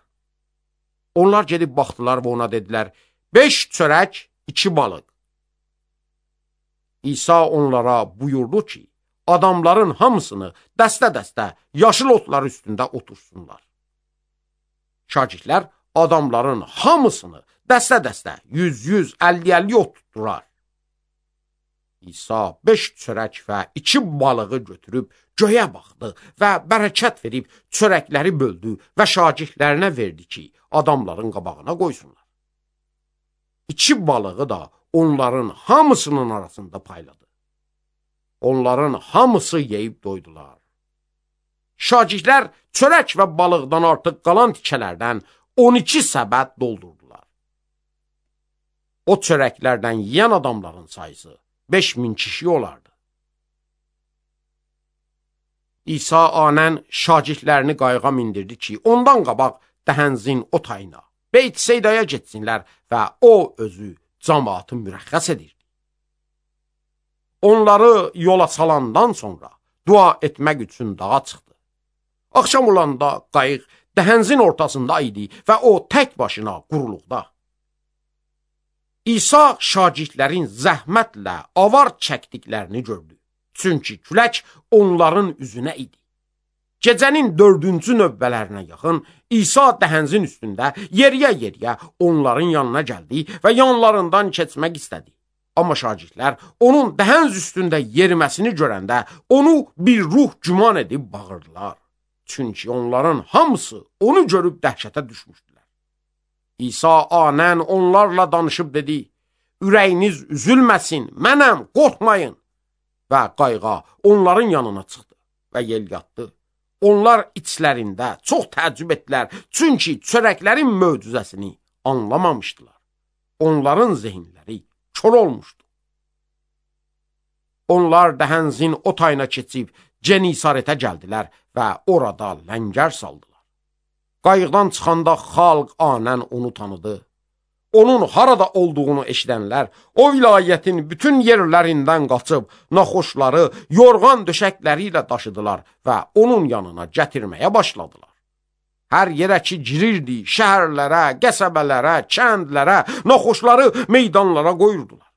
Onlar gedib baxdılar və ona dedilər, 5 çörək, 2 balıq. İsa onlara buyurdu ki, adamların hamısını dəstə-dəstə yaşıl otlar üstündə otursunlar. Şagirdlər adamların hamısını dəstə-dəstə 100-100, 50-50 ot tutdular. İsa 5 çörək və 2 balığı götürüb göyə baxdı və bərəkət verib çörəkləri böldü və şagirdlərinə verdi ki, adamların qabağına qoysunlar. 2 balığı da onların hamısının arasında payladı. Onların hamısı yeyib doydular. Şagirdlər çörək və balıqdan artıq qalan tikələrdən 12 səbət doldurdular. O çörəklərdən yeyən adamların sayısı 5000 kişi olardı. İsa anən şagirdlərini qayığa mindirdi ki, ondan qabaq dəhənzin o tayına, Beyt-Seydaya getsinlər və o özü cəmaatı mürəxxəs edirdi. Onları yola salandan sonra dua etmək üçün dağa çıxdı. Axşam olanda qayıq dəhənzin ortasında idi və o tək başına quruluqda. İsa şagirdlərin zəhmətlə avar çəkdiklərini gördü. Çünki külək onların üzünə idi. Gecənin 4-cü növbələrinə yaxın İsa dəhənzin üstündə yeriyə-yeriyə onların yanına gəldi və yanlarından keçmək istədi. Amma şagirdlər onun dəhənz üstündə yeriməsini görəndə onu bir ruh güman edib bağırdılar. Çünki onların hamısı onu görüb dəhşətə düşmüşdülər. İsa anən onlarla danışıb dedi, ürəyiniz üzülməsin, mənəm, qorxmayın. və qayğa onların yanına çıxdı və yel yatdı. Onlar içlərində çox təəccüb etdilər, çünki çörəklərin möcüzəsini anlamamışdılar. Onların zehinləri kör olmuşdu. Onlar Dəhənzin o tayına keçib Cenisarətə gəldilər və orada ləngər saldılar. Qayıqdan çıxanda xalq anən onu tanıdı. Onun harada olduğunu eşidənlər o vilayətin bütün yerlərindən qaçıb naxoşları yorğan döşəkləri ilə daşıdılar və onun yanına gətirməyə başladılar. Hər yerə ki girirdi, şəhərlərə, qəsəbələrə, kəndlərə, naxoşları meydanlara qoyurdular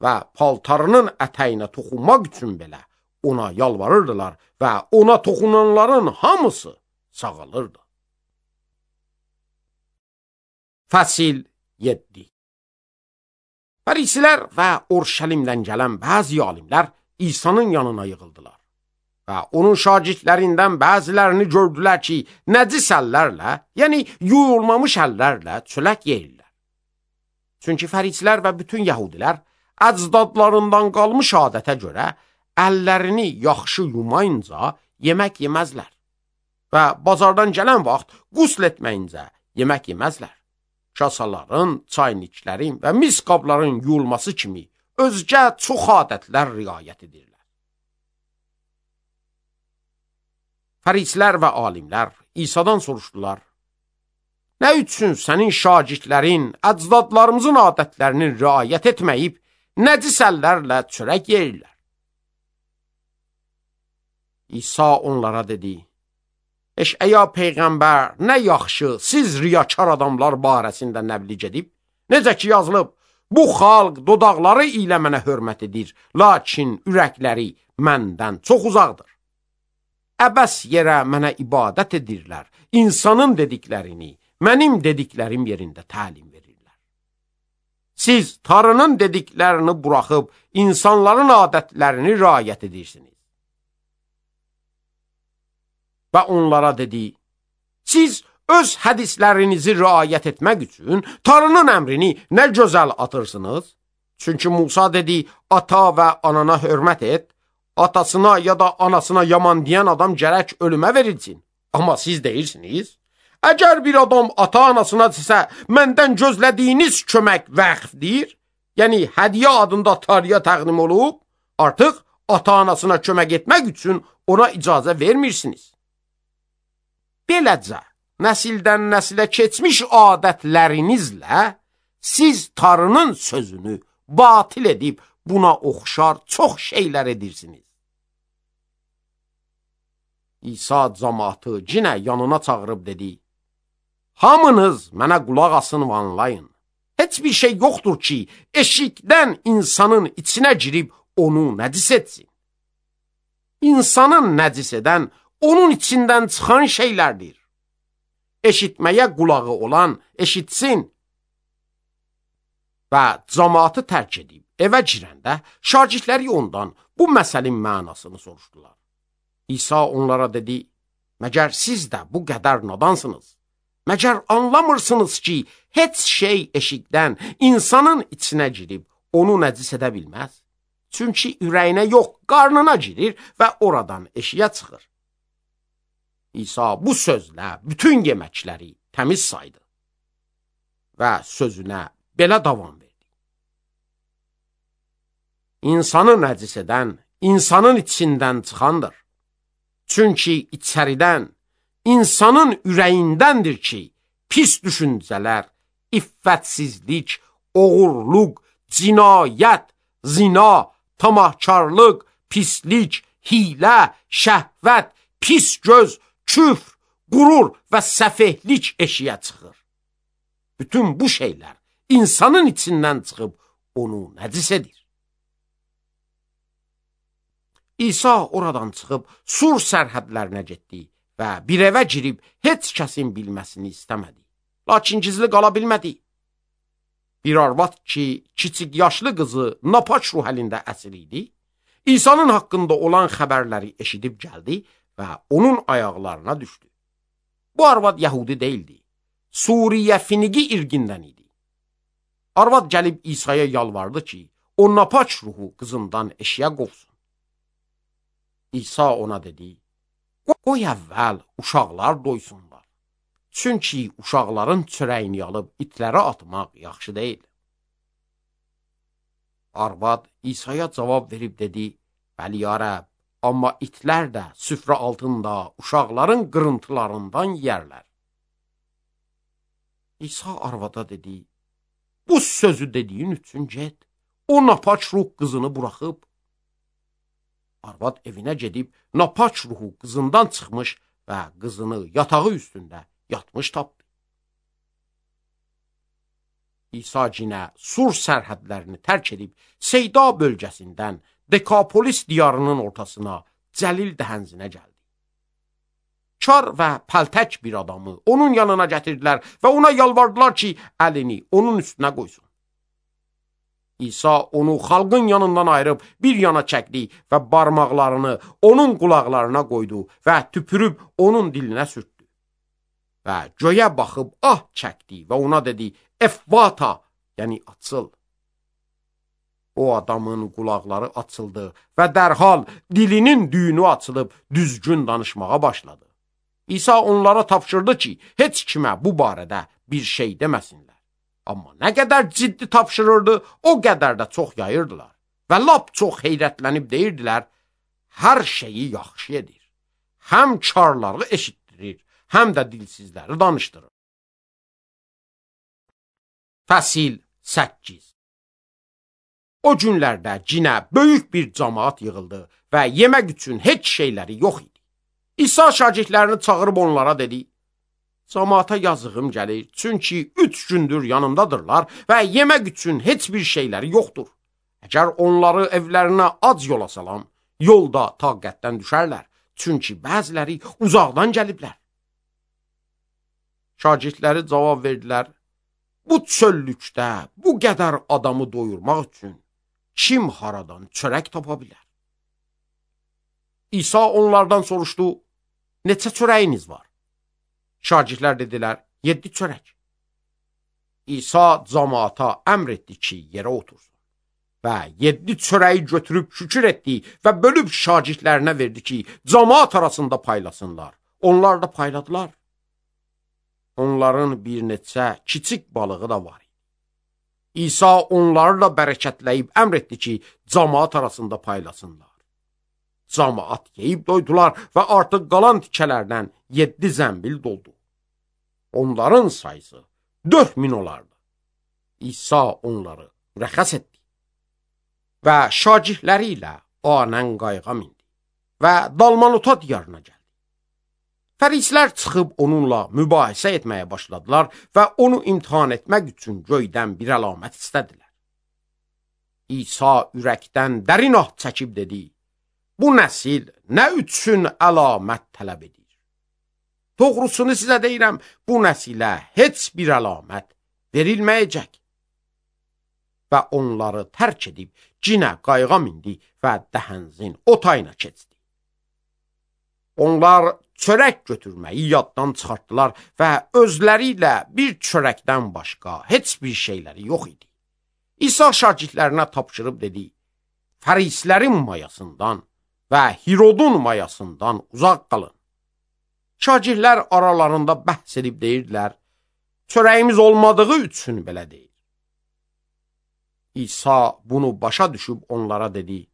və paltarının ətəyinə toxunmaq üçün belə ona yalvarırdılar və ona toxunanların hamısı sağalırdı. Fəsil 7. Fərisilər və Urşəlimdən gələn bəzi alimlər İsa'nın yanına yığıldılar və onun şagirdlərindən bəzilərini gördülər ki, nəcis əllərlə, yəni yuyulmamış əllərlə çörək yeyirlər. Çünki fərisilər və bütün yəhudilər əcdadlarından qalmış adətə görə əllərini yaxşı yumayınca yemək yeməzlər və bazardan gələn vaxt qusl etməyincə yemək yeməzlər. Kasaların, çayniklərin və mis qabların yuyulması kimi özgə çox adətlər riayət edirlər. Fərisilər və alimlər İsa'dan soruşdular: Nə üçün sənin şagirdlərin əcdadlarımızın adətlərini riayət etməyib, nəcis əllərlə çörək yeyirlər? İsa onlara dedi: Eş'əya Peyğəmbər nə yaxşı siz riyakar adamlar barəsində nəbliğ edib, necə ki yazılıb, bu xalq dodaqları ilə mənə hörmət edir, lakin ürəkləri məndən çox uzaqdır. Əbəs yerə mənə ibadət edirlər, insanın dediklərini mənim dediklərim yerində təlim verirlər. Siz Tanrının dediklərini buraxıb insanların adətlərini riayət edirsiniz. Və onlara dedi: Siz öz hədislərinizi riayət etmək üçün Tanrının əmrini nə gözəl atırsınız? Çünki Musa dedi: Ata və anana hörmət et, atasına ya da anasına yaman deyən adam gərək ölümə verilsin. Amma siz deyirsiniz: Əgər bir adam ata-anasına desə, məndən gözlədiyiniz kömək vəqfdir, yəni hədiyyə adında Tanrıya təqdim olub, artıq ata-anasına kömək etmək üçün ona icazə vermirsiniz. Beləcə, nəsildən nəsilə keçmiş adətlərinizlə siz Tanrının sözünü batil edib buna oxşar çox şeylər edirsiniz. İsa cəmaatı yenə yanına çağırıb dedi: Hamınız mənə qulaq asın və anlayın. Heç bir şey yoxdur ki, eşikdən insanın içinə girib onu nəcis etsin. İnsanın nəcis edən onun içindən çıxan şeylərdir. Eşitməyə qulağı olan eşitsin. Və cəmaatı tərk edib evə girəndə şagirdləri ondan bu məsəlin mənasını soruşdular. İsa onlara dedi: Məgər siz də bu qədər nadansınız? Məgər anlamırsınız ki, heç şey eşikdən insanın içinə girib onu nəcis edə bilməz? Çünki ürəyinə yox, qarnına girir və oradan eşiyə çıxır. İsa bu sözlə bütün yeməkləri təmiz saydı və sözünə belə davam verdi: İnsanı nəcis edən insanın içindən çıxandır. Çünki içəridən, insanın ürəyindəndir ki, pis düşüncələr, iffətsizlik, oğurluq, cinayət, zina, tamahkarlıq, pislik, hilə, şəhvət, pis göz, küfr, qurur və səfehlik eşiyə çıxır. Bütün bu şeylər insanın içindən çıxıb onu nəcis edir. İsa oradan çıxıb Sur sərhədlərinə getdi və bir evə girib heç kəsin bilməsini istəmədi. Lakin gizli qala bilmədi. Bir arvad ki, kiçik yaşlı qızı napaç ruh əlində əsir idi, İsa'nın haqqında olan xəbərləri eşidib gəldi və onun ayaqlarına düşdü. Bu arvad Yəhudi deyildi, Suriyə Finigi irqindən idi. Arvad gəlib İsa'ya yalvardı ki, o napaç ruhu qızından eşiyə qovsun. İsa ona dedi, qoy əvvəl uşaqlar doysunlar. Çünki uşaqların çörəyini alıb itlərə atmaq yaxşı deyil. Arvad İsa'ya cavab verib dedi, bəli ya Rəbb, amma itlər də süfrə altında uşaqların qırıntılarından yərlər. İsa arvada dedi, bu sözü dediyin üçün get, o napaç ruh qızını buraxıb. Arvad evinə gedib napaç ruhu qızından çıxmış və qızını yatağı üstündə yatmış tapdı. İsa cinə Sur sərhədlərini tərk edib Seyda bölgəsindən Dekapolis diyarının ortasına Cəlil dəhənzinə gəldi. Kar və pəltək bir adamı onun yanına gətirdilər və ona yalvardılar ki, əlini onun üstünə qoysun. İsa onu xalqın yanından ayırıb bir yana çəkdi və barmaqlarını onun qulaqlarına qoydu və tüpürüb onun dilinə sürtdü. Və göyə baxıb ah çəkdi və ona dedi, Efvata, yəni açıl. O adamın qulaqları açıldı və dərhal dilinin düyünü açılıb düzgün danışmağa başladı. İsa onlara tapşırdı ki, heç kimə bu barədə bir şey deməsinlər. Amma nə qədər ciddi tapşırırdı, o qədər də çox yayırdılar. Və lap çox heyrətlənib deyirdilər, hər şeyi yaxşı edir. Həm karları eşitdirir, həm də dilsizləri danışdırır. Fəsil 8. O günlərdə cinə böyük bir cəmaat yığıldı və yemək üçün heç şeyləri yox idi. İsa şagirdlərini çağırıb onlara dedi, cəmaata yazığım gəlir, çünki 3 gündür yanımdadırlar və yemək üçün heç bir şeyləri yoxdur. Əgər onları evlərinə ac yola salam, yolda taqətdən düşərlər, çünki bəziləri uzaqdan gəliblər. Şagirdləri cavab verdilər, bu çöllükdə bu qədər adamı doyurmaq üçün kim haradan çörək tapa bilər? İsa onlardan soruşdu, neçə çörəyiniz var? Şagirdlər dedilər, 7 çörək. İsa cəmaata əmr etdi ki, yerə otursun. Və 7 çörəyi götürüb şükür etdi və bölüb şagirdlərinə verdi ki, cəmaat arasında paylasınlar. Onlar da payladılar. Onların bir neçə kiçik balığı da var. İsa onları da bərəkətləyib əmr etdi ki, cəmaat arasında paylasınlar. Cəmaat yeyib doydular və artıq qalan tikələrdən 7 zəmbil doldu. Onların sayısı 4000 olardı. İsa onları rəxəs etdi və şagirdləri ilə anən qayığa mindi və Dalmanuta diyarına gəldi. Fərislər çıxıb onunla mübahisə etməyə başladılar və onu imtihan etmək üçün göydən bir əlamət istədilər. İsa ürəkdən dərin ah çəkib dedi, bu nəsil nə üçün əlamət tələb edir? Doğrusunu sizə deyirəm, bu nəsilə heç bir əlamət verilməyəcək. Və onları tərk edib cinə qayığa mindi və dəhənzin o tayına keçdi. Onlar çörək götürməyi yaddan çıxartdılar və özləri ilə bir çörəkdən başqa heç bir şeyləri yox idi. İsa şagirdlərinə tapşırıb dedi, Fərislərin mayasından və Hirodun mayasından uzaq qalın. Şagirdlər aralarında bəhs edib deyirdilər, çörəyimiz olmadığı üçün belə deyir. İsa bunu başa düşüb onlara dedi,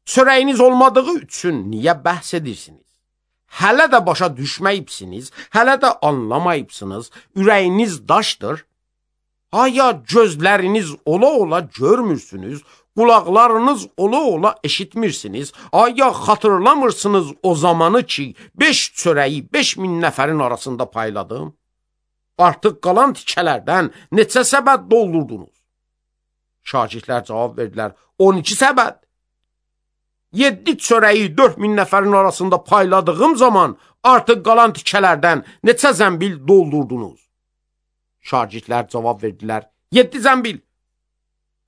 çörəyiniz olmadığı üçün niyə bəhs edirsiniz? Hələ də başa düşməyibsiniz, hələ də anlamayıbsınız, ürəyiniz daşdır. Aya gözləriniz ola-ola görmürsünüz, qulaqlarınız ola-ola eşitmirsiniz, aya xatırlamırsınız o zamanı ki, 5 çörəyi 5000 nəfərin arasında payladım? Artıq qalan tikələrdən neçə səbət doldurdunuz? Şagirdlər cavab verdilər, 12 səbət. 7 çörəyi 4000 nəfərin arasında payladığım zaman artıq qalan tikələrdən neçə zəmbil doldurdunuz? Şagirdlər cavab verdilər, 7 zəmbil.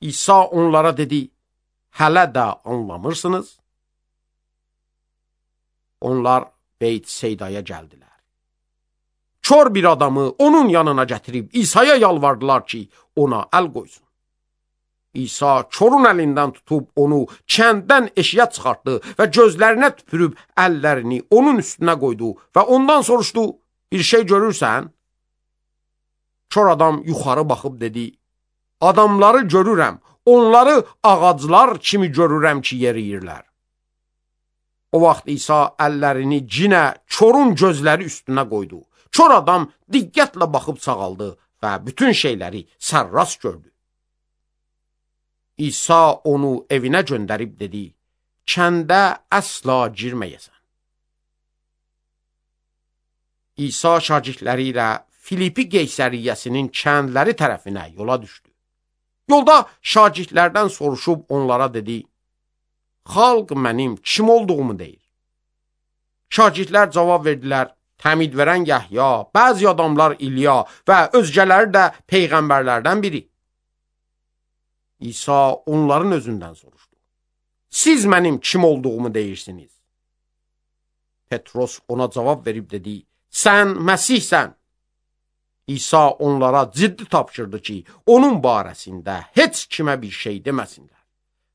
İsa onlara dedi, hələ də anlamırsınız? Onlar Beyt Seydaya gəldilər. Kör bir adamı onun yanına gətirib İsa'ya yalvardılar ki, ona əl qoysun. İsa korun əlindən tutub onu kənddən eşiyə çıxartdı və gözlərinə tüpürüb əllərini onun üstünə qoydu və ondan soruşdu, bir şey görürsən? Kör adam yuxarı baxıb dedi, adamları görürəm, onları ağaclar kimi görürəm ki, yeriyirlər. O vaxt İsa əllərini cinə körün gözləri üstünə qoydu. Kör adam diqqətlə baxıb sağaldı və bütün şeyləri sərrast gördü. İsa onu evinə göndərib dedi, kəndə əsla girməyəsən. İsa şagirdləri ilə Filipi Qeysəriyyəsinin kəndləri tərəfinə yola düşdü. Yolda şagirdlərdən soruşub onlara dedi, xalq mənim kim olduğumu deyir. Şagirdlər cavab verdilər, təmid verən Yəhya, bəzi adamlar İlya və özgələri də peyğəmbərlərdən biri. İsa onların özündən soruşdu. Siz mənim kim olduğumu deyirsiniz? Petros ona cavab verib dedi, sən Məsihsən. İsa onlara ciddi tapşırdı ki, onun barəsində heç kimə bir şey deməsinlər.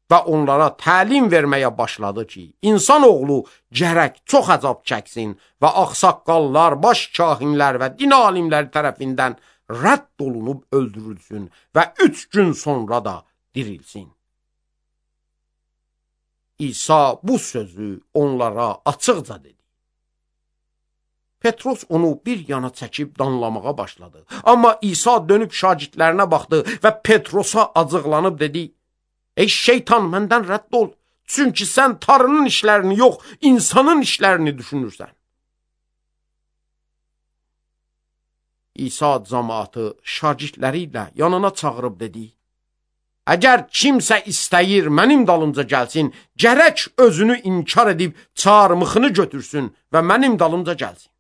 Və onlara təlim verməyə başladı ki, insanoğlu gərək çox əzab çəksin və ağsaqqallar, baş kahinlər və din alimləri tərəfindən rədd olunub öldürülsün və 3 gün sonra da dirilsin. İsa bu sözü onlara açıqca dedi. Petros onu bir yana çəkib danlamağa başladı. Amma İsa dönüb şagirdlərinə baxdı və Petrosa acıqlanıb dedi, ey şeytan, məndən rədd ol, çünki sən Tanrının işlərini yox, insanın işlərini düşünürsən. İsa cəmaatı şagirdləri ilə yanına çağırıb dedi, əgər kimsə istəyir mənim dalımca gəlsin, gərək özünü inkar edib çarmıxını götürsün və mənim dalımca gəlsin.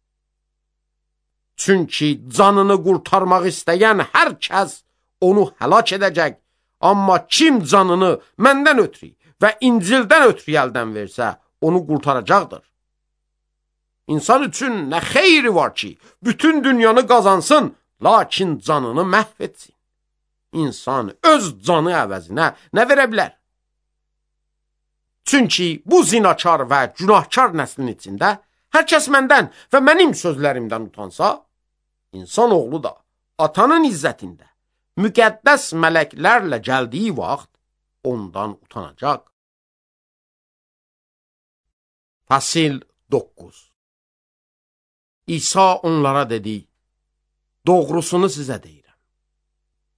Çünki canını qurtarmaq istəyən hər kəs onu həlak edəcək, amma kim canını məndən ötürü və İncildən ötürü əldən versə, onu qurtaracaqdır. İnsan üçün nə xeyri var ki, bütün dünyanı qazansın, lakin canını məhv etsin. İnsan öz canı əvəzinə nə verə bilər? Çünki bu zinakar və günahkar nəslin içində hər kəs məndən və mənim sözlərimdən utansa, insan oğlu da atanın izzətində müqəddəs mələklərlə gəldiyi vaxt ondan utanacaq. Fəsil 9. İsa onlara dedi, doğrusunu sizə deyirəm.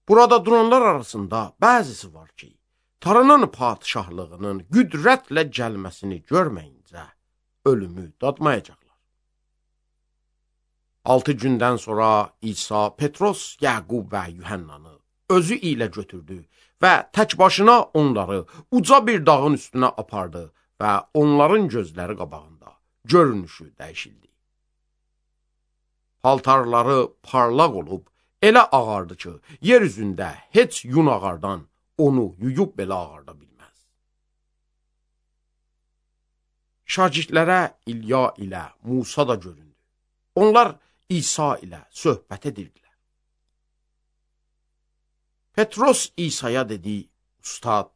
Burada duranlar arasında bəzisi var ki, Tanrının padişahlığının qüdrətlə gəlməsini görməyincə ölümü dadmayacaqlar. 6 gündən sonra İsa Petros, Yaqub və Yuhannanı özü ilə götürdü və tək başına onları uca bir dağın üstünə apardı və onların gözləri qabağında görünüşü dəyişildi. Paltarları parlaq olub, elə ağardı ki, yer üzündə heç yun ağardan onu yuyub belə ağarda bilməz. Şagirdlərə İlya ilə Musa da göründü. Onlar İsa ilə söhbət edirdilər. Petros İsa'ya dedi, Ustad,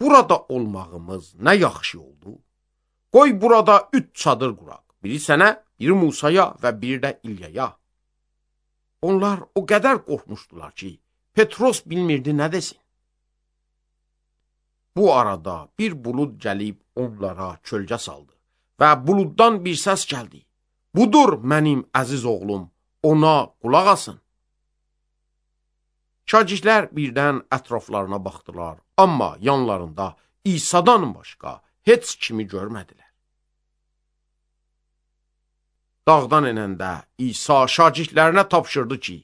burada olmağımız nə yaxşı oldu? Qoy burada 3 çadır quraq, biri sənə, biri Musaya və biri də İlyaya. Onlar o qədər qorxmuşdular ki, Petros bilmirdi nə desin. Bu arada bir bulud gəlib onlara kölgə saldı və buluddan bir səs gəldi. Budur mənim əziz oğlum, ona qulaq asın. Şagirdlər birdən ətraflarına baxdılar, amma yanlarında İsa'dan başqa heç kimi görmədilər. Dağdan enəndə İsa şagirdlərinə tapşırdı ki,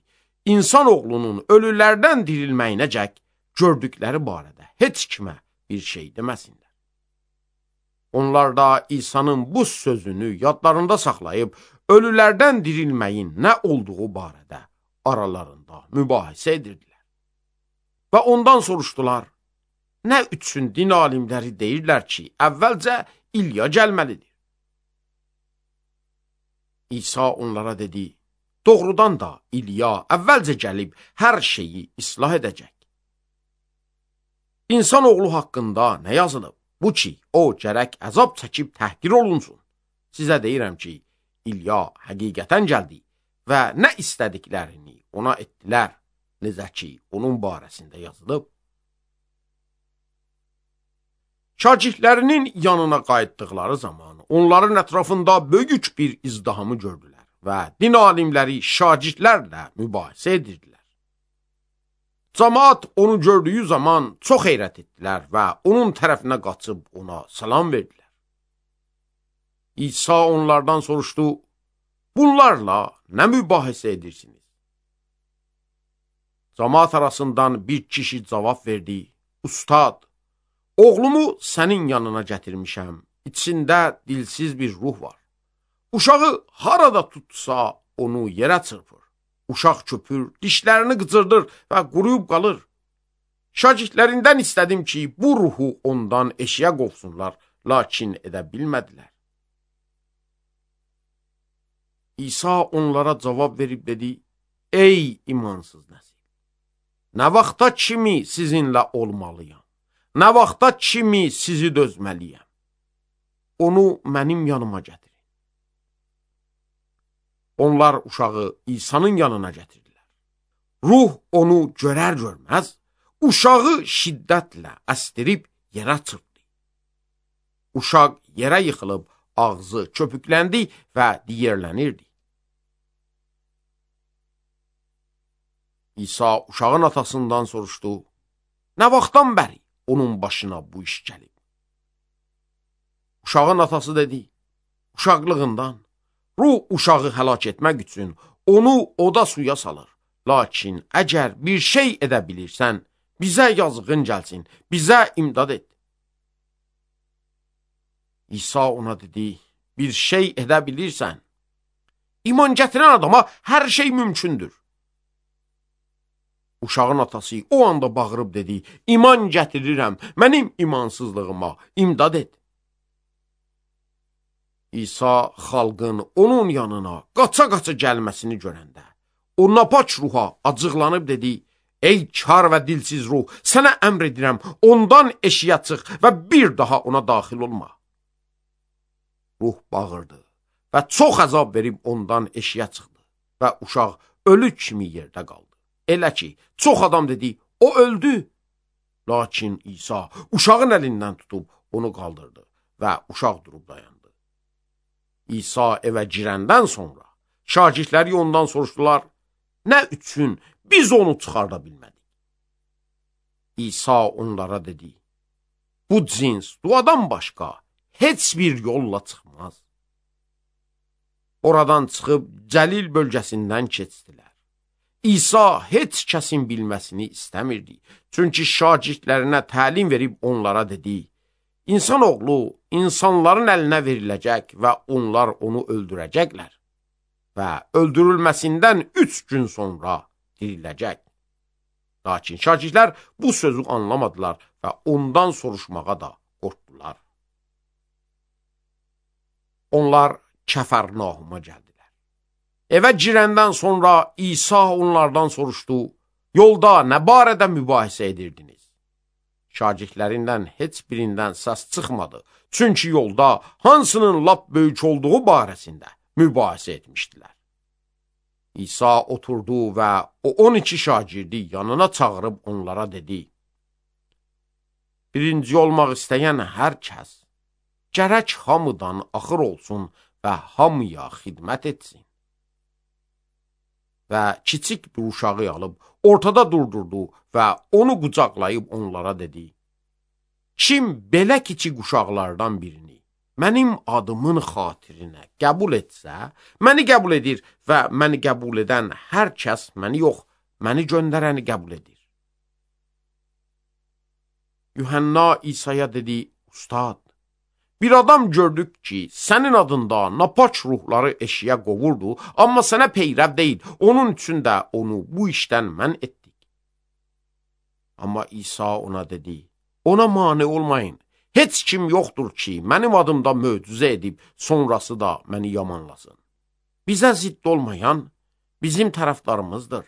insan oğlunun ölülərdən dirilməyinəcək gördükləri barədə heç kimə bir şey deməsinlər. Onlar da İsa'nın bu sözünü yadlarında saxlayıb, ölülərdən dirilməyin nə olduğu barədə aralarında mübahisə edirdilər. Və ondan soruşdular, nə üçün din alimləri deyirlər ki, əvvəlcə İlya gəlməlidir? İsa onlara dedi, doğrudan da İlya əvvəlcə gəlib hər şeyi islah edəcək. İnsanoğlu haqqında nə yazılıb? Bu ki, o gərək əzab çəkib təhqir olunsun. Sizə deyirəm ki, İlya həqiqətən gəldi və nə istədiklərini ona etdilər, necə ki, onun barəsində yazılıb. Şagirdlərinin yanına qayıtdıqları zaman onların ətrafında böyük bir izdihamı gördülər və din alimləri şagirdlərlə mübahisə edirdilər. Camaat onu gördüyü zaman çox heyrət etdilər və onun tərəfinə qaçıb ona salam verdilər. İsa onlardan soruşdu, bunlarla nə mübahisə edirsiniz? Camaat arasından bir kişi cavab verdi, Ustad, oğlumu sənin yanına gətirmişəm, içində dilsiz bir ruh var. Uşağı harada tutsa onu yerə çırpır. Uşaq köpür, dişlərini qıcırdır və quruyub qalır. Şagirdlərindən istədim ki, bu ruhu ondan eşiyə qovsunlar, lakin edə bilmədilər. İsa onlara cavab verib dedi, ey imansız nəsil, nə vaxta kimi sizinlə olmalıyam, nə vaxta kimi sizi dözməliyəm, onu mənim yanıma gətirin. Onlar uşağı İsa'nın yanına gətirdilər. Ruh onu görər-görməz, uşağı şiddətlə əsdirib yerə çırpdı. Uşaq yerə yıxılıb, ağzı köpükləndi və diyərlənirdi. İsa uşağın atasından soruşdu, nə vaxtdan bəri onun başına bu iş gəlib? Uşağın atası dedi, uşaqlığından. Ruh uşağı həlak etmək üçün onu oda suya salır. Lakin əgər bir şey edə bilirsən, bizə yazığın gəlsin, bizə imdad et. İsa ona dedi, bir şey edə bilirsən. İman gətirən adama hər şey mümkündür. Uşağın atası o anda bağırıb dedi, iman gətirirəm, mənim imansızlığıma imdad et. İsa xalqın onun yanına qaça-qaça gəlməsini görəndə, o napaç ruha acıqlanıb dedi, ey kar və dilsiz ruh, sənə əmr edirəm, ondan eşiyə çıx və bir daha ona daxil olma. Ruh bağırdı və çox əzab verib ondan eşiyə çıxdı və uşaq ölü kimi yerdə qaldı. Elə ki, çox adam dedi, o öldü. Lakin İsa uşağın əlindən tutub onu qaldırdı və uşaq durub dayandı. İsa evə girəndən sonra şagirdləri ondan soruşdular, nə üçün biz onu çıxarda bilmədik? İsa onlara dedi, bu cins duadan başqa heç bir yolla çıxmaz. Oradan çıxıb Cəlil bölgəsindən keçdilər. İsa heç kəsin bilməsini istəmirdi. Çünki şagirdlərinə təlim verib onlara dedi, İnsanoğlu insanların əlinə veriləcək və onlar onu öldürəcəklər və öldürülməsindən 3 gün sonra diriləcək. Lakin şagirdlər bu sözü anlamadılar və ondan soruşmağa da qorxdular. Onlar Kəfərnauma gəldilər. Evə girəndən sonra İsa onlardan soruşdu, yolda nə barədə mübahisə edirdiniz? Şagirdlərindən heç birindən səs çıxmadı. Çünki yolda hansının lap böyük olduğu barəsində mübahisə etmişdilər. İsa oturdu və o 12 şagirdi yanına çağırıb onlara dedi, birinci olmaq istəyən hər kəs gərək hamıdan axır olsun və hamıya xidmət etsin. Və kiçik bir uşağı alıb ortada durdurdu və onu qucaqlayıb onlara dedi, kim belə kiçik uşaqlardan birini mənim adımın xatirinə qəbul etsə, məni qəbul edir və məni qəbul edən hər kəs məni yox, məni göndərəni qəbul edir. Yuhanna İsa'ya dedi, Ustad, bir adam gördük ki, sənin adında napaç ruhları eşiyə qovurdu, amma sənə peyrəv deyil, onun üçün də onu bu işdən mən etdik. Amma İsa ona dedi, ona mane olmayın, heç kim yoxdur ki, mənim adımda möcüzə edib, sonrası da məni yamanlasın. Bizə zidd olmayan bizim tərəfdarımızdır.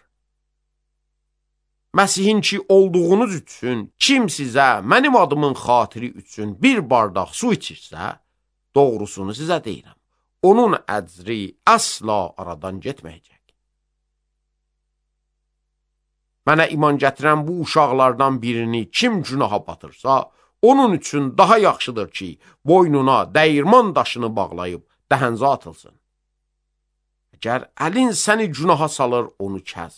Məsihin ki olduğunuz üçün kim sizə mənim adımın xatiri üçün bir bardaq su içirsə, doğrusunu sizə deyirəm, onun əcri əsla aradan getməyəcək. Mənə iman gətirən bu uşaqlardan birini kim günaha batırsa, onun üçün daha yaxşıdır ki, boynuna dəyirman daşını bağlayıb dəhənzə atılsın. Əgər əlin səni günaha salır, onu kəs.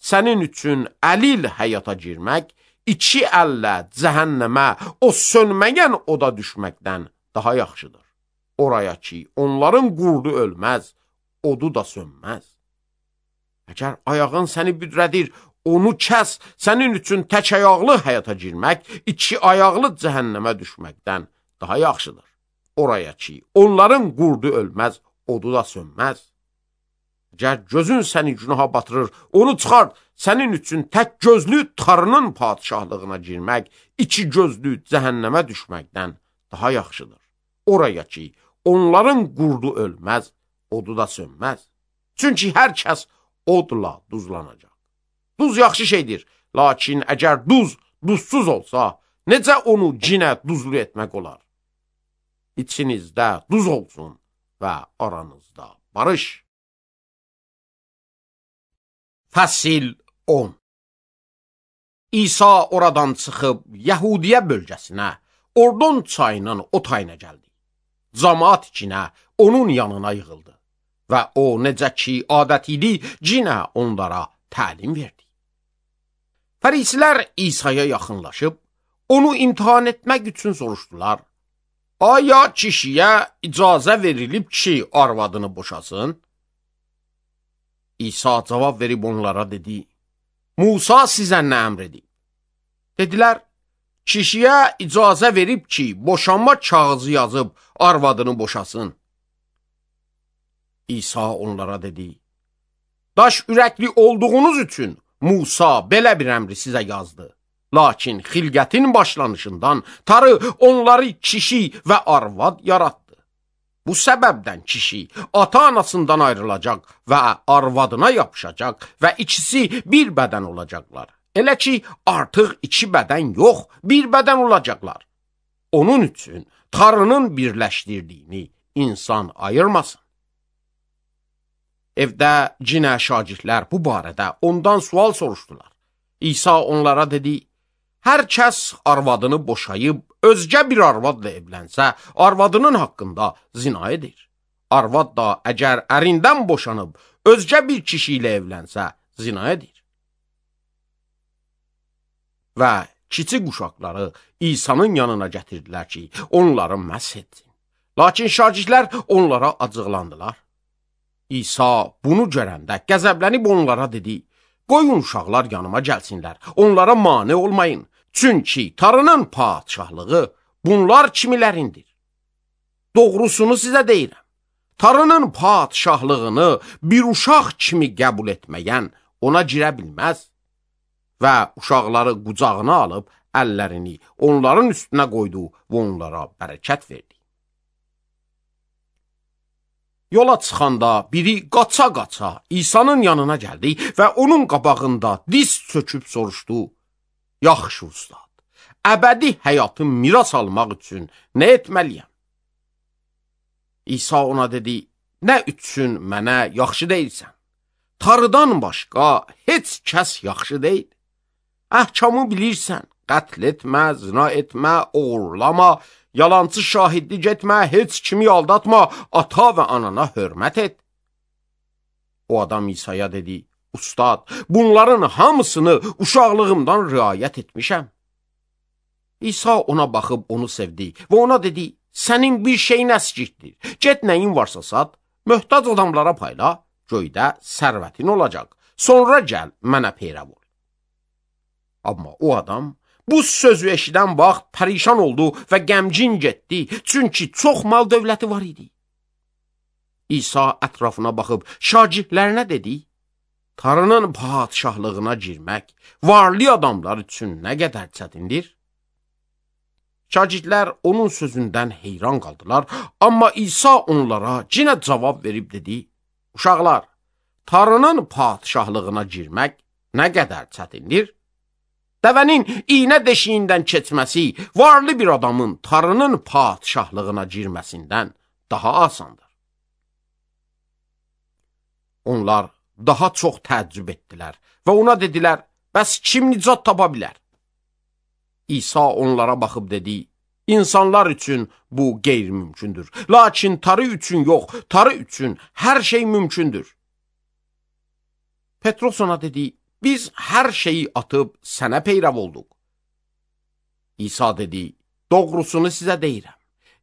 Sənin üçün əlil həyata girmək, iki əllə cəhənnəmə, o sönməyən oda düşməkdən daha yaxşıdır. Oraya ki, onların qurdu ölməz, odu da sönməz. Əgər ayağın səni büdrədir, onu kəs, sənin üçün tək ayaqlı həyata girmək, iki ayaqlı cəhənnəmə düşməkdən daha yaxşıdır. Oraya ki, onların qurdu ölməz, odu da sönməz. Əgər gözün səni günaha batırır, onu çıxart, sənin üçün tək gözlü tarının padişahlığına girmək, iki gözlü cəhənnəmə düşməkdən daha yaxşıdır. Oraya ki, onların qurdu ölməz, odu da sönməz. Çünki hər kəs odla duzlanacaq. Duz yaxşı şeydir, lakin əgər duz duzsuz olsa, necə onu cinə duzlu etmək olar? İçinizdə duz olsun və aranızda barış. Fəsil 10. İsa oradan çıxıb Yəhudiyə bölgəsinə, Ordon çayının o tayına gəldi. Camaat içinə onun yanına yığıldı və o necə ki adət idi, cinə onlara təlim verdi. Fərisilər İsa'ya yaxınlaşıb, onu imtihan etmək üçün soruşdular. Aya kişiyə icazə verilib ki, arvadını boşasın? İsa cavab verib onlara dedi, Musa sizə nə əmr edib? Dedilər, kişiyə icazə verib ki, boşanma kağızı yazıb arvadını boşasın. İsa onlara dedi, daş ürəkli olduğunuz üçün Musa belə bir əmri sizə yazdı. Lakin xilqətin başlanışından Tanrı onları kişi və arvad yaratdı. Bu səbəbdən kişi ata-anasından ayrılacaq və arvadına yapışacaq və ikisi bir bədən olacaqlar. Elə ki, artıq iki bədən yox, bir bədən olacaqlar. Onun üçün Tanrının birləşdirdiyini insan ayırmasın. Evdə cinə şagirdlər bu barədə ondan sual soruşdular. İsa onlara dedi, hər kəs arvadını boşayıb, özgə bir arvadla evlənsə, arvadının haqqında zina edir. Arvad da əgər ərindən boşanıb, özgə bir kişi ilə evlənsə, zina edir. Və kiçik uşaqları İsa'nın yanına gətirdilər ki, onları məhs etsin. Lakin şagirdlər onlara acıqlandılar. İsa bunu görəndə qəzəblənib onlara dedi, qoyun uşaqlar yanıma gəlsinlər, onlara mane olmayın. Çünki Tanrının padişahlığı bunlar kimilərindir. Doğrusunu sizə deyirəm. Tanrının padişahlığını bir uşaq kimi qəbul etməyən ona girə bilməz. Və uşaqları qucağına alıb əllərini onların üstünə qoydu və onlara bərəkət verdi. Yola çıxanda biri qaça-qaça İsa'nın yanına gəldi və onun qabağında diz çöküb soruşdu. Yaxşı ustad, əbədi həyatı miras almaq üçün nə etməliyəm? İsa ona dedi, nə üçün mənə yaxşı deyilsən? Tanrıdan başqa heç kəs yaxşı deyil. Əhkamı bilirsən, qətl etmə, zina etmə, oğurlama, yalancı şahidlik etmə, heç kimi aldatma, ata və anana hörmət et. O adam İsa'ya dedi, Ustad, bunların hamısını uşaqlığımdan riayət etmişəm. İsa ona baxıb onu sevdi və ona dedi, sənin bir şeyin əskikdir. Get nəyin varsa sat, möhtac adamlara payla, göydə sərvətin olacaq. Sonra gəl, mənə peyrəv ol. Amma o adam bu sözü eşidən vaxt pərişan oldu və qəmgin getdi, çünki çox mal dövləti var idi. İsa ətrafına baxıb şagirdlərinə dedi, Tanrının padişahlığına girmək varlı adamlar üçün nə qədər çətindir? Şagirdlər onun sözündən heyran qaldılar, amma İsa onlara yenə cavab verib dedi, uşaqlar, Tanrının padişahlığına girmək nə qədər çətindir? Dəvənin iynə deşiyindən keçməsi varlı bir adamın tarının padişahlığına girməsindən daha asandır. Onlar daha çox təəccüb etdilər və ona dedilər, bəs kim nicat tapa bilər? İsa onlara baxıb dedi, İnsanlar üçün bu qeyri-mümkündür. Lakin tarı üçün yox, tarı üçün hər şey mümkündür. Petros ona dedi, biz hər şeyi atıb sənə peyrav olduq. İsa dedi, doğrusunu sizə deyirəm.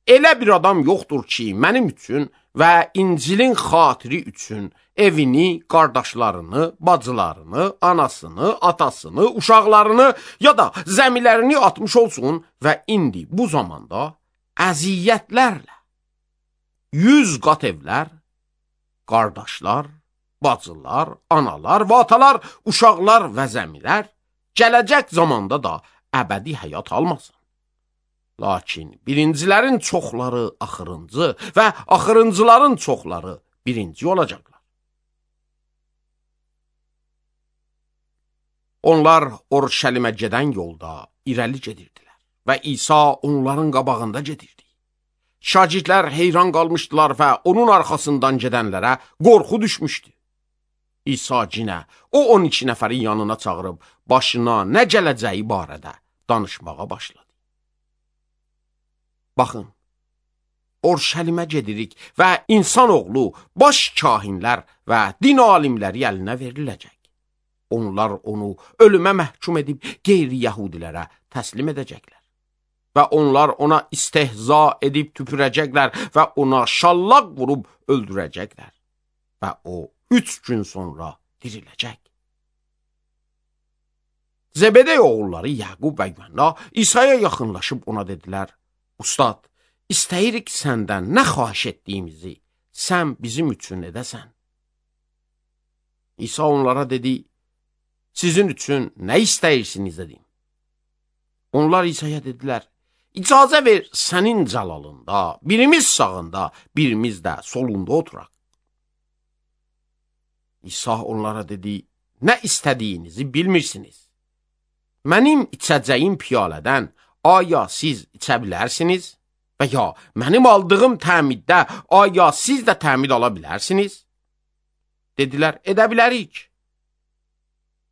Elə bir adam yoxdur ki, mənim üçün və İncilin xatiri üçün evini, qardaşlarını, bacılarını, anasını, atasını, uşaqlarını ya da zəmilərini atmış olsun və indi bu zamanda əziyyətlərlə 100 qat evlər, qardaşlar, bacılar, analar və atalar, uşaqlar və zəmilər gələcək zamanda da əbədi həyat almasın. Lakin birincilərin çoxları axırıncı və axırıncıların çoxları birinci olacaqlar. Onlar Orşəlimə gedən yolda irəli gedirdilər və İsa onların qabağında gedirdi. Şagirdlər heyran qalmışdılar və onun arxasından gedənlərə qorxu düşmüşdü. İsa cinə o 12 nəfərin yanına çağırıb başına nə gələcəyi barədə danışmağa başladı. Baxın, Orşəlimə gedirik və insanoğlu baş kahinlər və din alimləri əlinə veriləcək. Onlar onu ölümə məhkum edib qeyri-yəhudilərə təslim edəcəklər. Və onlar ona istehza edib tüpürəcəklər və ona şallaq vurub öldürəcəklər. Və o 3 gün sonra diriləcək. Zebedey oğulları Yaqub və Yuhanna İsa'ya yaxınlaşıb ona dedilər, Ustad, istəyirik səndən nə xahiş etdiyimizi sən bizim üçün edəsən. İsa onlara dedi, sizin üçün nə istəyirsiniz dedim. Onlar İsa'ya dedilər, icazə ver sənin cəlalında, birimiz sağında, birimiz də solunda oturaq. İsa onlara dedi, nə istədiyinizi bilmirsiniz. Mənim içəcəyim piyalədən aya siz içə bilərsiniz və ya mənim aldığım təmiddə aya siz də təmid ala bilərsiniz? Dedilər, edə bilərik.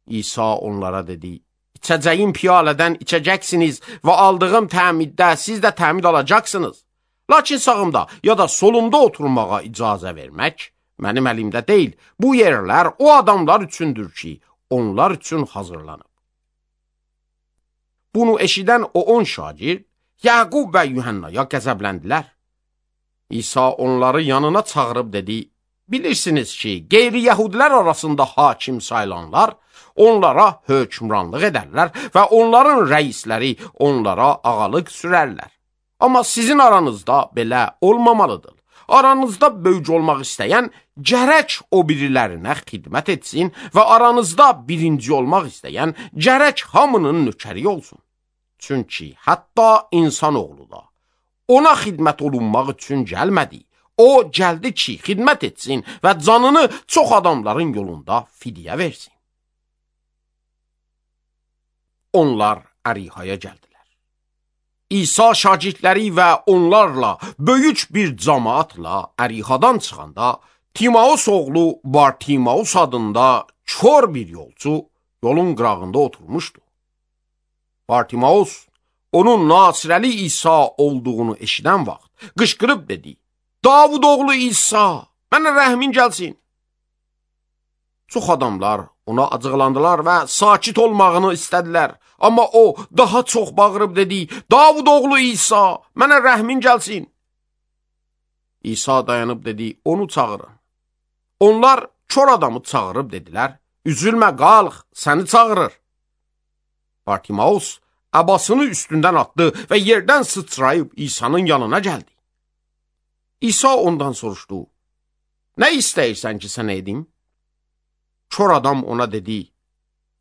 İsa onlara dedi, içəcəyim piyalədən içəcəksiniz və aldığım təmiddə siz də təmid alacaqsınız. Lakin sağımda ya da solumda oturmağa icazə vermək mənim əlimdə deyil. Bu yerlər o adamlar üçündür ki, onlar üçün hazırlanıb. Bunu eşidən o 10 şagird Yaqub və Yuhannaya qəzəbləndilər. İsa onları yanına çağırıb dedi, bilirsiniz ki, qeyri-yəhudilər arasında hakim sayılanlar onlara hökmranlıq edərlər və onların rəisləri onlara ağalıq sürərlər. Amma sizin aranızda belə olmamalıdır. Aranızda böyük olmaq istəyən gərək o birilərinə xidmət etsin və aranızda birinci olmaq istəyən gərək hamının nökəri olsun. Çünki hətta insanoğlu da ona xidmət olunmaq üçün gəlmədi. O gəldi ki, xidmət etsin və canını çox adamların yolunda fidyə versin. Onlar Ərihaya gəldilər. İsa şagirdləri və onlarla böyük bir cəmaatla Ərihadan çıxanda Timaus oğlu Bartimaus adında kör bir yolçu yolun qırağında oturmuşdu. Bartimaus onun Nasirəli İsa olduğunu eşidən vaxt qışqırıb dedi, Davud oğlu İsa, mənə rəhmin gəlsin. Çox adamlar ona acıqlandılar və sakit olmağını istədilər. Amma o daha çox bağırıb dedi, Davud oğlu İsa, mənə rəhmin gəlsin. İsa dayanıb dedi, onu çağırın. Onlar kör adamı çağırıb dedilər, üzülmə qalx, səni çağırır. Bartimaus əbasını üstündən atdı və yerdən sıçrayıb İsa'nın yanına gəldi. İsa ondan soruşdu, nə istəyirsən ki, sənə edim? Kör adam ona dedi,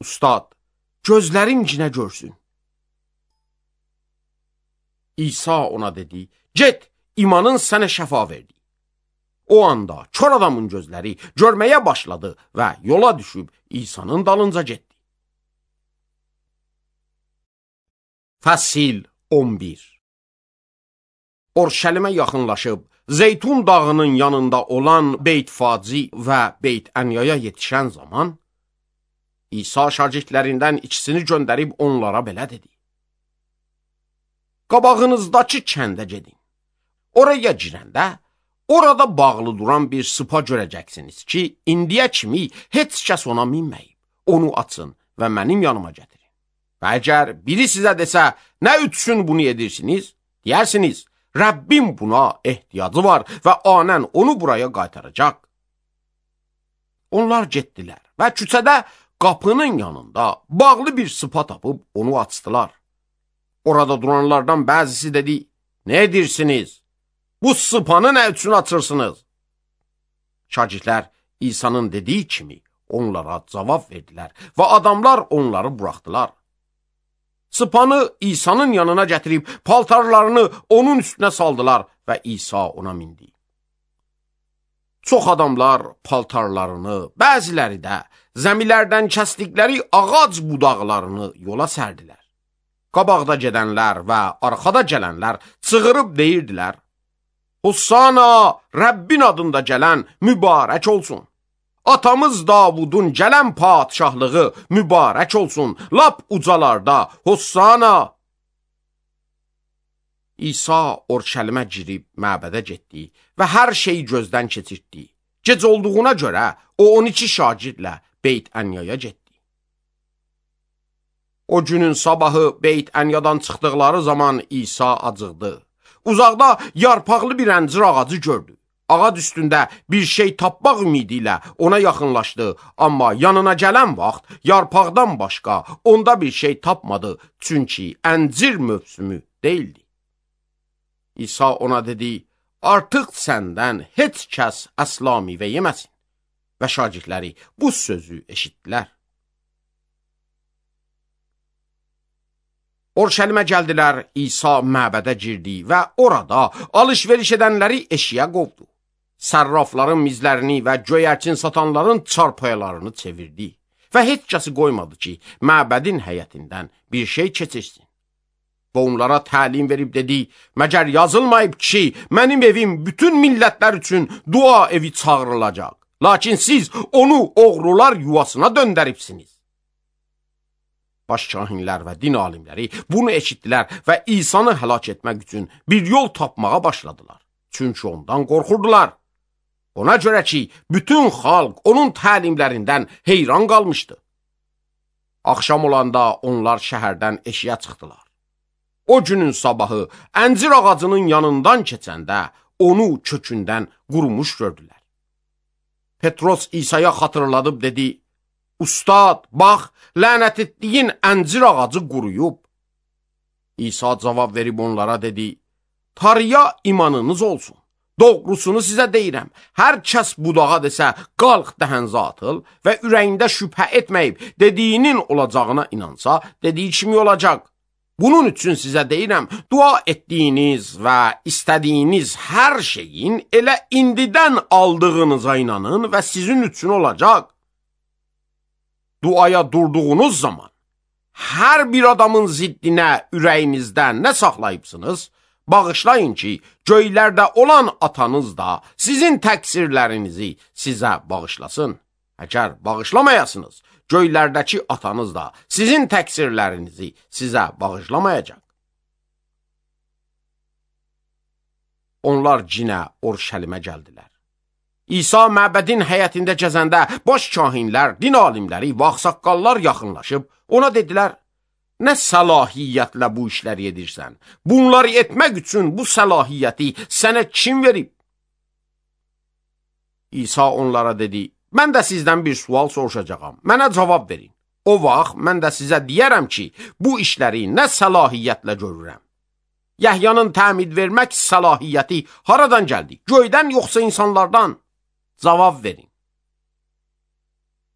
Ustad, gözlərim cinə görsün. İsa ona dedi, get, imanın sənə şəfa verdi. O anda kör adamın gözləri görməyə başladı və yola düşüb İsa'nın dalınca getdi. Fəsil 11. Orşəlimə yaxınlaşıb, Zeytun dağının yanında olan Beyt-Faci və Beyt-Ənyaya yetişən zaman, İsa şagirdlərindən ikisini göndərib onlara belə dedi: Qabağınızdakı kəndə gedin. Oraya girəndə, orada bağlı duran bir sıpa görəcəksiniz ki, indiyə kimi heç kəs ona minməyib. Onu açın və mənim yanıma gətirin. Və əgər biri sizə desə, nə üçün bunu edirsiniz? Deyərsiniz, Rəbbim buna ehtiyacı var və anən onu buraya qaytaracaq. Onlar getdilər və küçədə qapının yanında bağlı bir sıpa tapıb onu açdılar. Orada duranlardan bəzisi dedi, nə edirsiniz? Bu sıpanı nə üçün açırsınız? Şagirdlər İsa'nın dediyi kimi onlara cavab verdilər və adamlar onları buraxdılar. Sıpanı İsa'nın yanına gətirib paltarlarını onun üstünə saldılar və İsa ona mindi. Çox adamlar paltarlarını, bəziləri də zəmilərdən kəsdikləri ağac budaqlarını yola sərdilər. Qabaqda gedənlər və arxada gələnlər çığırıb deyirdilər, Hossana, Rəbbin adında gələn mübarək olsun. Atamız Davudun gələn padişahlığı mübarək olsun. Lap ucalarda, Hossana. İsa Orşəlimə girib məbədə getdi və hər şeyi gözdən keçirtdi. Gec olduğuna görə o 12 şagirdlə Beyt-Ənyaya getdi. O günün sabahı Beyt-Ənyadan çıxdıqları zaman İsa acıqdı. Uzaqda yarpaqlı bir əncir ağacı gördü. Ağac üstündə bir şey tapmaq ümidi ilə ona yaxınlaşdı, amma yanına gələn vaxt yarpaqdan başqa onda bir şey tapmadı, çünki əncir mövsümü deyildi. İsa ona dedi, artıq səndən heç kəs əsla meyvə yeməsin. Və şagirdləri bu sözü eşitdilər. Orşəlimə gəldilər, İsa məbədə girdi və orada alış-veriş edənləri eşiyə qovdu. Sərrafların mizlərini və göyərçin satanların çarpaylarını çevirdi və heç kəsi qoymadı ki, məbədin həyətindən bir şey keçirsin. Və onlara təlim verib dedi, məgər yazılmayıb ki, mənim evim bütün millətlər üçün dua evi çağırılacaq. Lakin siz onu oğrular yuvasına döndəribsiniz. Başkahinlər və din alimləri bunu eşitdilər və İsa'nı həlak etmək üçün bir yol tapmağa başladılar. Çünki ondan qorxurdular. Ona görə ki, bütün xalq onun təlimlərindən heyran qalmışdı. Axşam olanda onlar şəhərdən eşiyə çıxdılar. O günün sabahı əncir ağacının yanından keçəndə onu kökündən qurumuş gördülər. Petros İsa'ya xatırladıb dedi, Ustad, bax, lənət etdiyin əncir ağacı quruyub. İsa cavab verib onlara dedi, Tanrıya imanınız olsun. Doğrusunu sizə deyirəm, hər kəs budağa desə, qalx dəhənzə atıl və ürəyində şübhə etməyib, dediyinin olacağına inansa, dediyi kimi olacaq. Bunun üçün sizə deyirəm, dua etdiyiniz və istədiyiniz hər şeyin elə indidən aldığınıza inanın və sizin üçün olacaq. Duaya durduğunuz zaman, hər bir adamın ziddinə ürəyinizdə nə saxlayıbsınız, bağışlayın ki, göylərdə olan atanız da sizin təqsirlərinizi sizə bağışlasın. Əgər bağışlamayasınız, göylərdəki atanız da sizin təqsirlərinizi sizə bağışlamayacaq. Onlar cinə Orşəlimə gəldilər. İsa məbədin həyətində gəzəndə baş kahinlər, din alimləri və ağsaqqallar yaxınlaşıb ona dedilər, nə səlahiyyətlə bu işləri edirsən? Bunları etmək üçün bu səlahiyyəti sənə kim verib? İsa onlara dedi, mən də sizdən bir sual soruşacağam, mənə cavab verin. O vaxt mən də sizə deyərəm ki, bu işləri nə səlahiyyətlə görürəm? Yəhyanın təmid vermək səlahiyyəti haradan gəldi? Göydən yoxsa insanlardan? Cavab verin.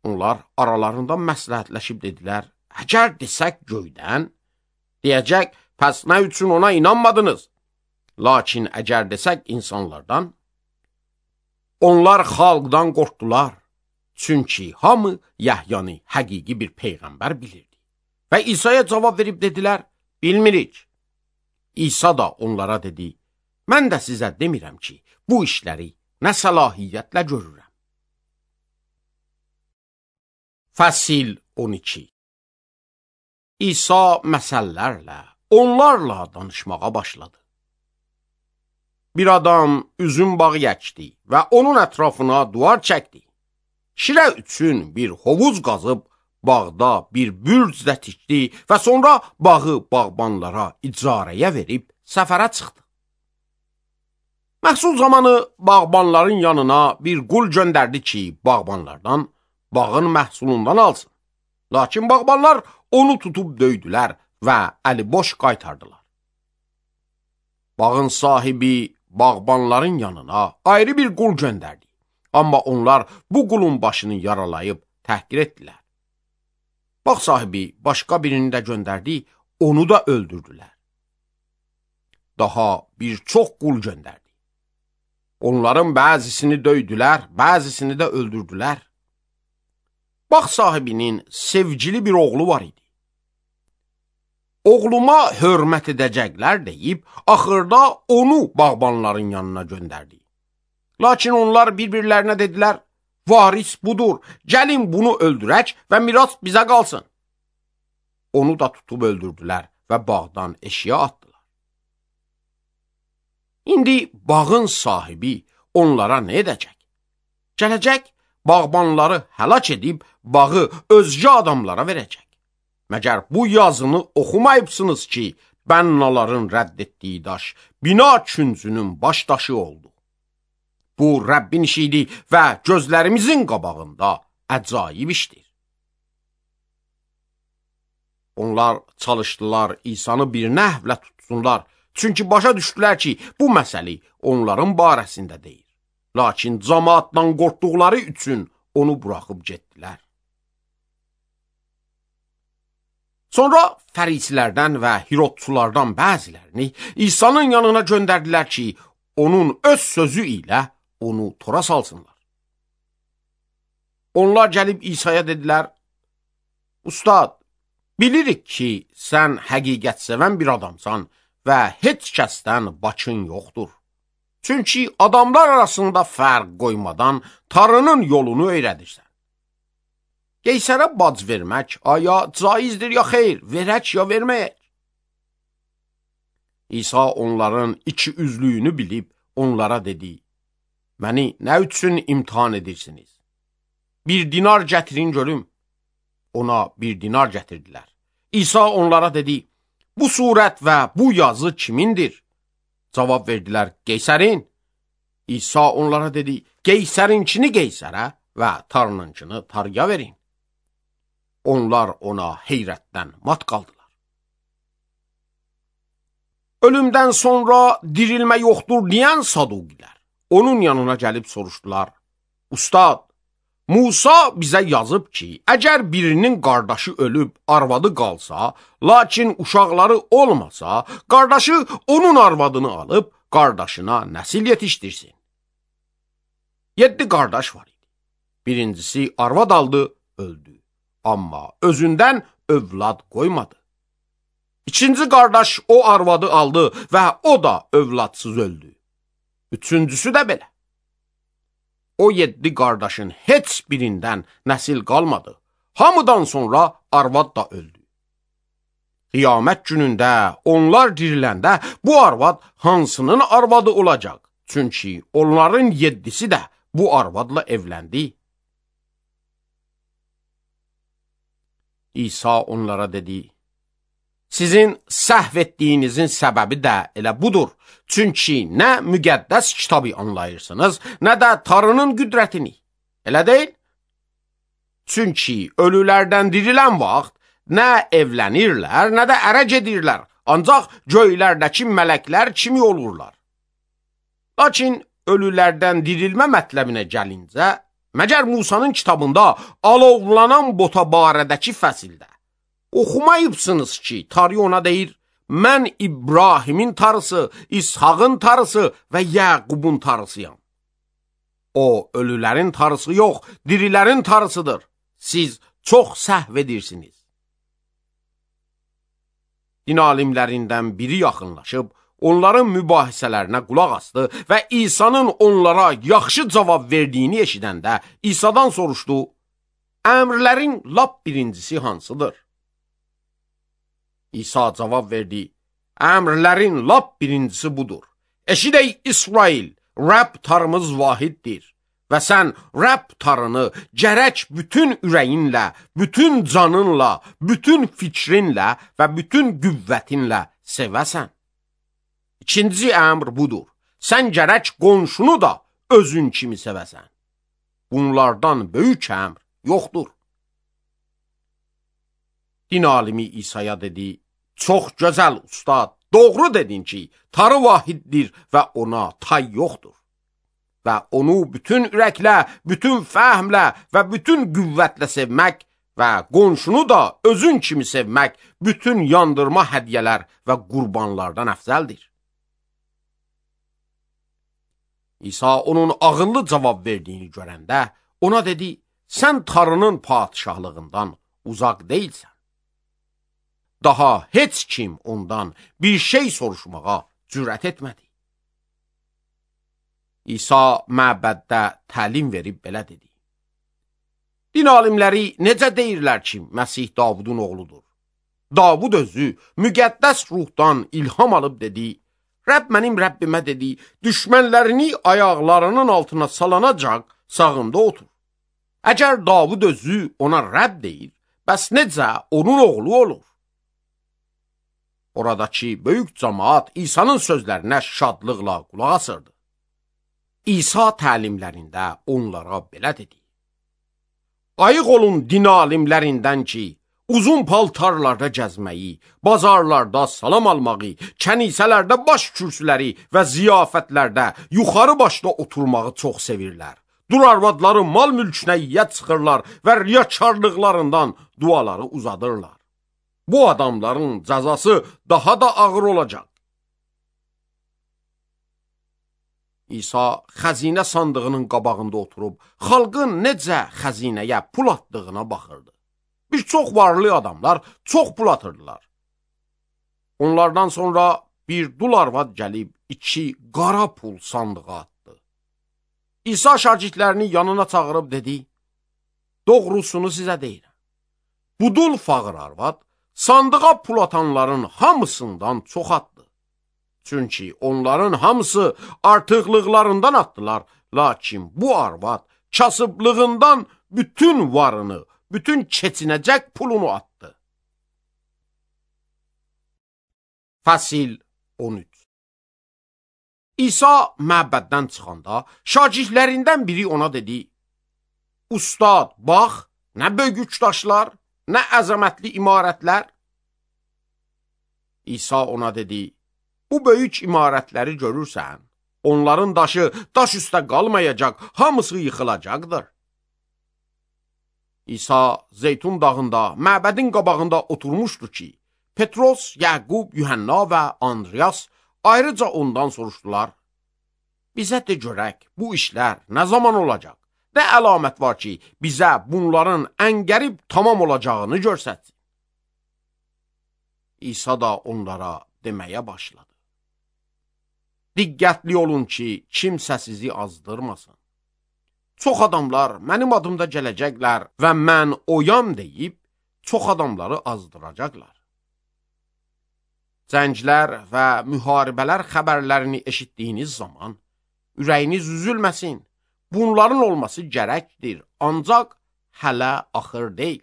Onlar aralarında məsləhətləşib dedilər, əgər desək göydən, deyəcək, pəs nə üçün ona inanmadınız? Lakin əgər desək insanlardan, onlar xalqdan qorxdular. Çünki hamı Yəhyanı həqiqi bir peyğəmbər bilirdi. Və İsa'ya cavab verib dedilər, bilmirik. İsa da onlara dedi, mən də sizə demirəm ki, bu işləri nə səlahiyyətlə görürəm. Fəsil 12. İsa məsəllərlə, onlarla danışmağa başladı. Bir adam üzüm bağı əkdi və onun ətrafına duvar çəkdi. Şirə üçün bir hovuz qazıb, bağda bir bürc də tikdi və sonra bağı bağbanlara icarəyə verib səfərə çıxdı. Məhsul zamanı bağbanların yanına bir qul göndərdi ki, bağbanlardan bağın məhsulundan alsın. Lakin bağbanlar onu tutub döydülər və əli boş qaytardılar. Bağın sahibi bağbanların yanına ayrı bir qul göndərdi. Amma onlar bu qulun başını yaralayıb təhqir etdilər. Bağ sahibi başqa birini də göndərdi, onu da öldürdülər. Daha bir çox qul göndərdi. Onların bəzisini döydülər, bəzisini də öldürdülər. Bağ sahibinin sevgili bir oğlu var idi. Oğluma hörmət edəcəklər deyib, axırda onu bağbanların yanına göndərdi. Lakin onlar bir-birlərinə dedilər, varis budur, gəlin bunu öldürək və miras bizə qalsın. Onu da tutub öldürdülər və bağdan eşiyə atdılar. İndi bağın sahibi onlara nə edəcək? Gələcək, bağbanları həlak edib bağı özgə adamlara verəcək. Məgər bu yazını oxumayıbsınız ki, bənnaların rədd etdiyi daş, bina küncünün baş daşı oldu. Bu Rəbbin işidir və gözlərimizin qabağında əcaib işdir. Onlar çalışdılar İsanı bir nəhvlə tutsunlar, çünki başa düşdülər ki, bu məsəli onların barəsində deyil. Lakin cəmaatdan qorxduqları üçün onu buraxıb getdilər. Sonra fərisilərdən və hirodçulardan bəzilərini İsa'nın yanına göndərdilər ki, onun öz sözü ilə onu tora salsınlar. Onlar gəlib İsa'ya dedilər, Ustad, bilirik ki, sən həqiqət sevən bir adamsan və heç kəsdən başın yoxdur. Çünki adamlar arasında fərq qoymadan Tanrının yolunu öyrədirsən. Qeysərə bac vermək, aya caizdir ya xeyr, verək ya verməyək. İsa onların iki üzlüyünü bilib onlara dedi, məni nə üçün imtihan edirsiniz? Bir dinar gətirin görüm. Ona bir dinar gətirdilər. İsa onlara dedi, bu surət və bu yazı kimindir? Cavab verdilər, Qeysərin. İsa onlara dedi, Qeysərinkini Qeysərə və Tanrınkını Tanrıya verin. Onlar ona heyrətdən mat qaldılar. Ölümdən sonra dirilmə yoxdur deyən Saduqilər onun yanına gəlib soruşdular, Ustad, Musa bizə yazıb ki, əgər birinin qardaşı ölüb arvadı qalsa, lakin uşaqları olmasa, qardaşı onun arvadını alıb qardaşına nəsil yetişdirsin. 7 qardaş var idi. Birincisi arvad aldı, öldü. Amma özündən övlad qoymadı. İkinci qardaş o arvadı aldı və o da övladsız öldü. Üçüncüsü də belə. O 7 qardaşın heç birindən nəsil qalmadı. Hamıdan sonra arvad da öldü. Qiyamət günündə onlar diriləndə bu arvad hansının arvadı olacaq? Çünki onların 7'si də bu arvadla evləndi. İsa onlara dedi, sizin səhv etdiyinizin səbəbi də elə budur. Çünki nə müqəddəs kitabı anlayırsınız, nə də Tanrının qüdrətini. Elə deyil? Çünki ölülərdən dirilən vaxt nə evlənirlər, nə də ərə gedirlər, ancaq göylərdəki mələklər kimi olurlar. Lakin ölülərdən dirilmə mətləbinə gəlincə, məgər Musanın kitabında alovlanan bota barədəki fəsildə oxumayıbsınız ki, Tanrı ona deyir, mən İbrahimin Tanrısı, İshağın Tanrısı və Yaqubun Tanrısıyam. O, ölülərin Tanrısı yox, dirilərin Tanrısıdır. Siz çox səhv edirsiniz. Din alimlərindən biri yaxınlaşıb, onların mübahisələrinə qulaq asdı və İsa'nın onlara yaxşı cavab verdiyini eşidəndə İsa'dan soruşdu, əmrlərin lap birincisi hansıdır? İsa cavab verdi, əmrlərin lap birincisi budur. Eşidək İsrail, Rəbb tarımız vahiddir və sən Rəbb tarını gərək bütün ürəyinlə, bütün canınla, bütün fikrinlə və bütün qüvvətinlə sevəsən. İkinci əmr budur. Sən gərək qonşunu da özün kimi sevəsən. Bunlardan böyük əmr yoxdur. Din alimi İsa'ya dedi, çox gözəl ustad, doğru dedin ki, tarı vahiddir və ona tay yoxdur. Və onu bütün ürəklə, bütün fəhmlə və bütün qüvvətlə sevmək və qonşunu da özün kimi sevmək bütün yandırma hədiyyələr və qurbanlardan əfzəldir. İsa onun ağıllı cavab verdiyini görəndə ona dedi, sən tarının padişahlığından uzaq deyilsən. Daha heç kim ondan bir şey soruşmağa cürət etmədi. İsa məbəddə təlim verib belə dedi. Din alimləri necə deyirlər ki, Məsih Davudun oğludur? Davud özü müqəddəs ruhdan ilham alıb dedi, Rəbb mənim Rəbbimə dedi, düşmənlərini ayaqlarının altına salanacaq sağında otur. Əgər Davud özü ona Rəbb deyir, bəs necə onun oğlu olur? Oradakı böyük cəmaat İsa'nın sözlərinə şadlıqla qulaq asırdı. İsa təlimlərində onlara belə dedi. Ayıq olun din alimlərindən ki, uzun paltarlarda gəzməyi, bazarlarda salam almağı, kənisələrdə baş kürsüləri və ziyafətlərdə yuxarı başda oturmağı çox sevirlər. Durarvadları mal mülkünə yiyə çıxırlar və riyakarlıqlarından duaları uzadırlar. Bu adamların cəzası daha da ağır olacaq. İsa xəzinə sandığının qabağında oturub, xalqın necə xəzinəyə pul atdığına baxırdı. Bir çox varlı adamlar çox pul atırdılar. Onlardan sonra bir dul arvad gəlib 2 qara pul sandığa atdı. İsa şagirdlərini yanına çağırıb dedi, doğrusunu sizə deyirəm. Bu dul fağır arvad sandığa pul atanların hamısından çox atdı. Çünki onların hamısı artıqlıqlarından atdılar, lakin bu arvad kasıblığından bütün varını, bütün keçinəcək pulunu atdı. Fəsil 13. İsa məbəddən çıxanda şagirdlərindən biri ona dedi, Ustad, bax, nə böyük daşlar, nə əzəmətli imarətlər. İsa ona dedi, bu böyük imarətləri görürsən, onların daşı daş üstə qalmayacaq, hamısı yıxılacaqdır. İsa Zeytun dağında, məbədin qabağında oturmuşdu ki, Petros, Yaqub, Yuhanna və Andreas ayrıca ondan soruşdular, bizə de görək, bu işlər nə zaman olacaq? Nə əlamət var ki, bizə bunların ən qərib tamam olacağını görsətsin? İsa da onlara deməyə başladı. Diqqətli olun ki, kimsə sizi azdırmasın. Çox adamlar mənim adımda gələcəklər və mən oyam deyib, çox adamları azdıracaqlar. Cənglər və müharibələr xəbərlərini eşitdiyiniz zaman, ürəyiniz üzülməsin, bunların olması gərəkdir, ancaq hələ axır deyil.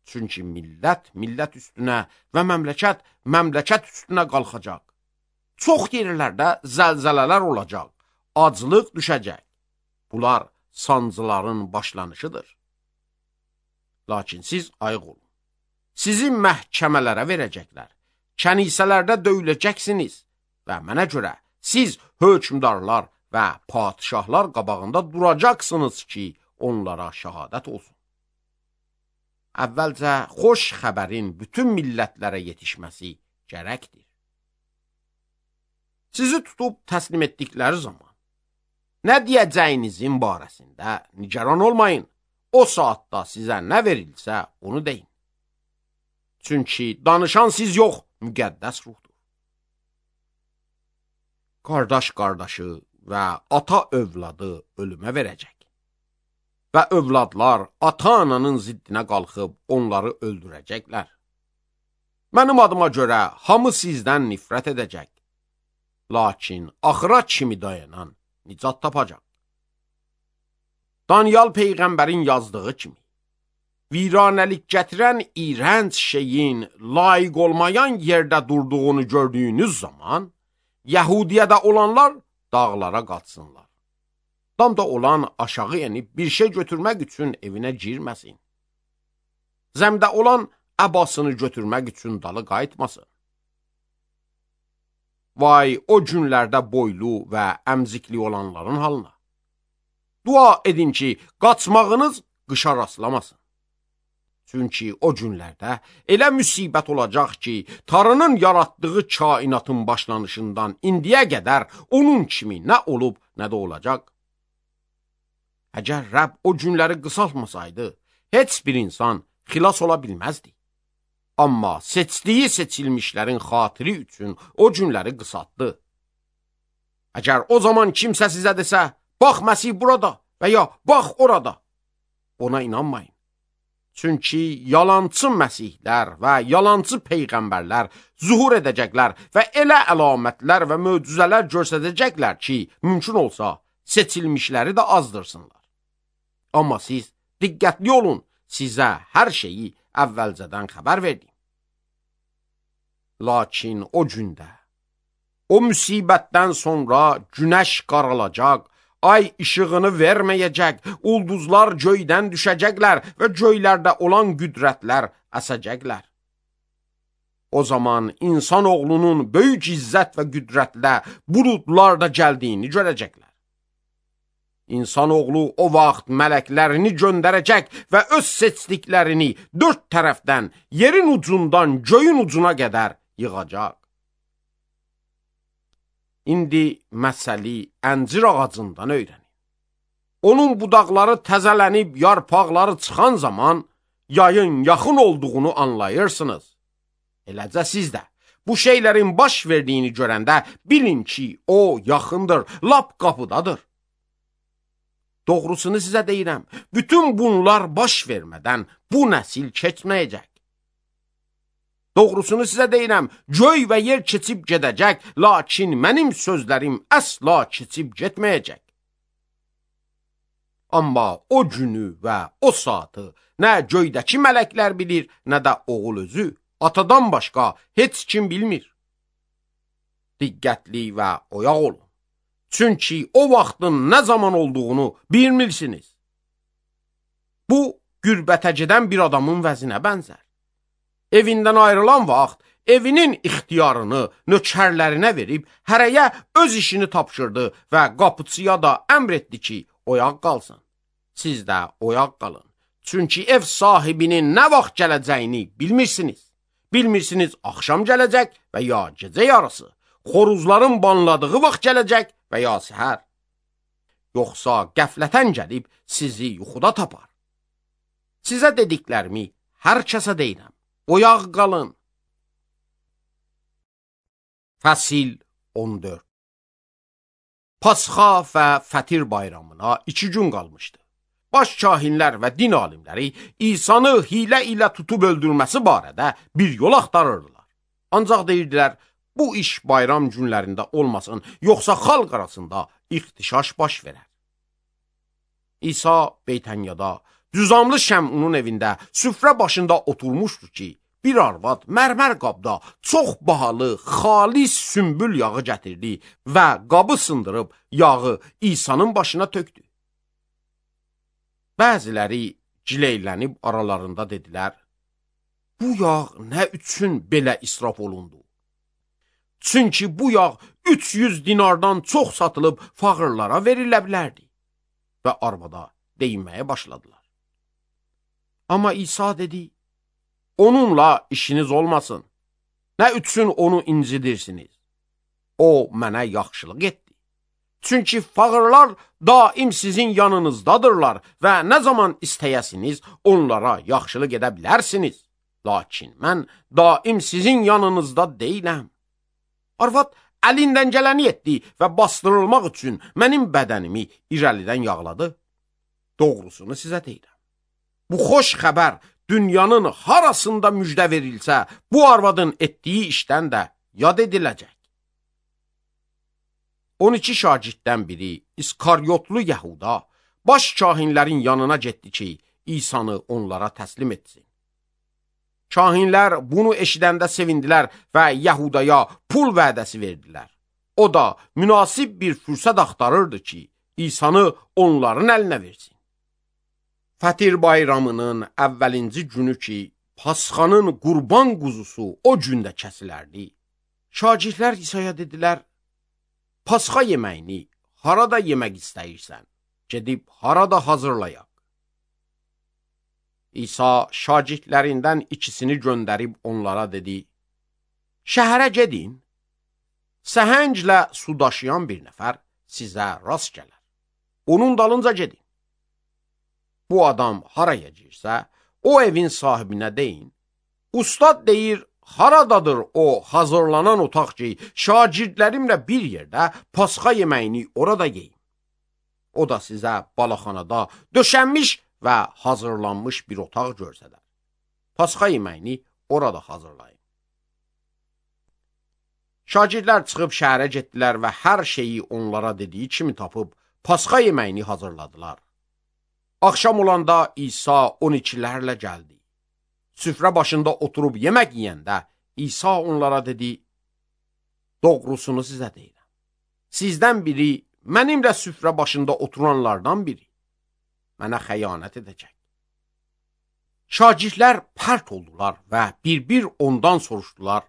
Çünki millət üstünə və məmləkət üstünə qalxacaq. Çox yerlərdə zəlzələlər olacaq, aclıq düşəcək. Bunlar sancıların başlanışıdır. Lakin siz ayıq olun. Sizi məhkəmələrə verəcəklər, kənisələrdə döyüləcəksiniz və mənə görə siz hökmdarlar və padişahlar qabağında duracaqsınız ki, onlara şəhadət olsun. Əvvəlcə xoş xəbərin bütün millətlərə yetişməsi gərəkdir. Sizi tutub təslim etdikləri zaman, nə deyəcəyinizin barəsində nigaran olmayın, o saatda sizə nə verilsə onu deyin. Çünki danışan siz yox, müqəddəs ruhdur. Qardaş qardaşı və ata övladı ölümə verəcək. Və övladlar ata-ananın ziddinə qalxıb onları öldürəcəklər. Mənim adıma görə hamı sizdən nifrət edəcək. Lakin axıra kimi dayanan nicat tapacaq. Daniel Peyğəmbərin yazdığı kimi, viranəlik gətirən iğrənc şeyin layiq olmayan yerdə durduğunu gördüyünüz zaman, Yəhudiyədə olanlar dağlara qaçsınlar. Damda olan aşağı enib bir şey götürmək üçün evinə girməsin. Zəmdə olan əbasını götürmək üçün dalı qayıtmasın. Vay o günlərdə boylu və əmzikli olanların halına. Dua edin ki, qaçmağınız qışa rastlamasın. Çünki o günlərdə elə müsibət olacaq ki, Tanrının yaratdığı kainatın başlanışından indiyə qədər onun kimi nə olub, nə də olacaq. Əgər Rəbb o günləri qısaltmasaydı, heç bir insan xilas ola bilməzdi. Amma seçdiyi seçilmişlərin xatiri üçün o günləri qısaltdı. Əgər o zaman kimsə sizə desə, bax Məsih burada və ya bax orada, ona inanmayın. Çünki yalancı məsihlər və yalancı peyğəmbərlər zuhur edəcəklər və elə əlamətlər və möcüzələr göstərəcəklər ki, mümkün olsa seçilmişləri də azdırsınlar. Amma siz diqqətli olun, sizə hər şeyi əvvəlcədən xəbər verdim. Lakin o gündə, o müsibətdən sonra günəş qaralacaq, ay işığını verməyəcək, ulduzlar göydən düşəcəklər və göylərdə olan qüdrətlər əsəcəklər. O zaman insan oğlunun böyük izzət və qüdrətlə buludlarda gəldiyini görəcəklər. İnsan oğlu o vaxt mələklərini göndərəcək və öz seçdiklərini dörd tərəfdən, yerin ucundan göyün ucuna qədər yığacaq. İndi məsəli əncir ağacından öyrənin. Onun budaqları təzələnib, yarpaqları çıxan zaman yayın yaxın olduğunu anlayırsınız. Eləcə siz də bu şeylərin baş verdiyini görəndə bilin ki, o yaxındır, lap qapıdadır. Doğrusunu sizə deyirəm, bütün bunlar baş vermədən bu nəsil keçməyəcək. Doğrusunu sizə deyirəm, göy və yer keçib gedəcək, lakin mənim sözlərim əsla keçib getməyəcək. Amma o günü və o saatı nə göydəki mələklər bilir, nə də oğul özü, atadan başqa heç kim bilmir. Diqqətli və oyaq olun. Çünki o vaxtın nə zaman olduğunu bilmirsiniz. Bu, qürbətə gedən bir adamın vəzinə bənzər. Evindən ayrılan vaxt evinin ixtiyarını nökərlərinə verib hərəyə öz işini tapşırdı və qapıçıya da əmr etdi ki, oyaq qalsın. Siz də oyaq qalın. Çünki ev sahibinin nə vaxt gələcəyini bilmirsiniz. Bilmirsiniz axşam gələcək və ya gecə yarısı, xoruzların banladığı vaxt gələcək və ya səhər. Yoxsa qəflətən gəlib sizi yuxuda tapar. Sizə dediklərimi hər kəsə deyirəm. Oyaq qalın. Fəsil 14. Pasxa və Fətir bayramına 2 gün qalmışdı. Baş kahinlər və din alimləri İsanı hilə ilə tutub öldürməsi barədə bir yol axtarırdılar. Ancaq deyirdilər, bu iş bayram günlərində olmasın, yoxsa xalq arasında ixtişaş baş verər. İsa Beytənyada Düzamlı Şəmunun evində süfrə başında oturmuşdu ki, bir arvad mərmər qabda çox bahalı, xalis sümbül yağı gətirdi və qabı sındırıb yağı İsa'nın başına tökdü. Bəziləri gileylənib aralarında dedilər, bu yağ nə üçün belə israf olundu? Çünki bu yağ 300 dinardan çox satılıb fağırlara verilə bilərdi. Və arvada deyinməyə başladılar. Amma İsa dedi, onunla işiniz olmasın. Nə üçün onu incidirsiniz? O mənə yaxşılıq etdi. Çünki fağırlar daim sizin yanınızdadırlar və nə zaman istəyəsiniz onlara yaxşılıq edə bilərsiniz. Lakin mən daim sizin yanınızda deyiləm. Arvad əlindən gələni etdi və bastırılmaq üçün mənim bədənimi irəlidən yağladı. Doğrusunu sizə deyirəm. Bu xoş xəbər dünyanın harasında müjdə verilsə, bu arvadın etdiyi işdən də yad ediləcək. 12 şagirddən biri İskaryotlu Yəhuda baş kahinlərin yanına getdi ki, İsa'nı onlara təslim etsin. Kahinlər bunu eşidəndə sevindilər və Yəhudaya pul vədəsi verdilər. O da münasib bir fürsət axtarırdı ki, İsa'nı onların əlinə versin. Fətir bayramının əvvəlinci günü ki, Pasxanın qurban quzusu o gündə kəsilərdi. Şagirdlər İsa'ya dedilər, Pasxa yeməyini harada yemək istəyirsən? Gedib harada hazırlayaq? İsa şagirdlərindən ikisini göndərib onlara dedi, şəhərə gedin, səhənglə su daşıyan bir nəfər sizə rast gələr. Onun dalınca gedin. Bu adam haraya girsə, o evin sahibinə deyin, ustad deyir, haradadır o hazırlanan otaq ki, şagirdlərimlə bir yerdə Pasxa yeməyini orada yeyim. O da sizə balaxanada döşənmiş və hazırlanmış bir otaq görsədər. Pasxa yeməyini orada hazırlayın. Şagirdlər çıxıb şəhərə getdilər və hər şeyi onlara dediyi kimi tapıb Pasxa yeməyini hazırladılar. Axşam olanda İsa 12'lərlə gəldi. Süfrə başında oturub yemək yeyəndə İsa onlara dedi, doğrusunu sizə deyirəm. Sizdən biri mənimlə süfrə başında oturanlardan biri mənə xəyanət edəcək. Şagirdlər pərt oldular və bir-bir ondan soruşdular,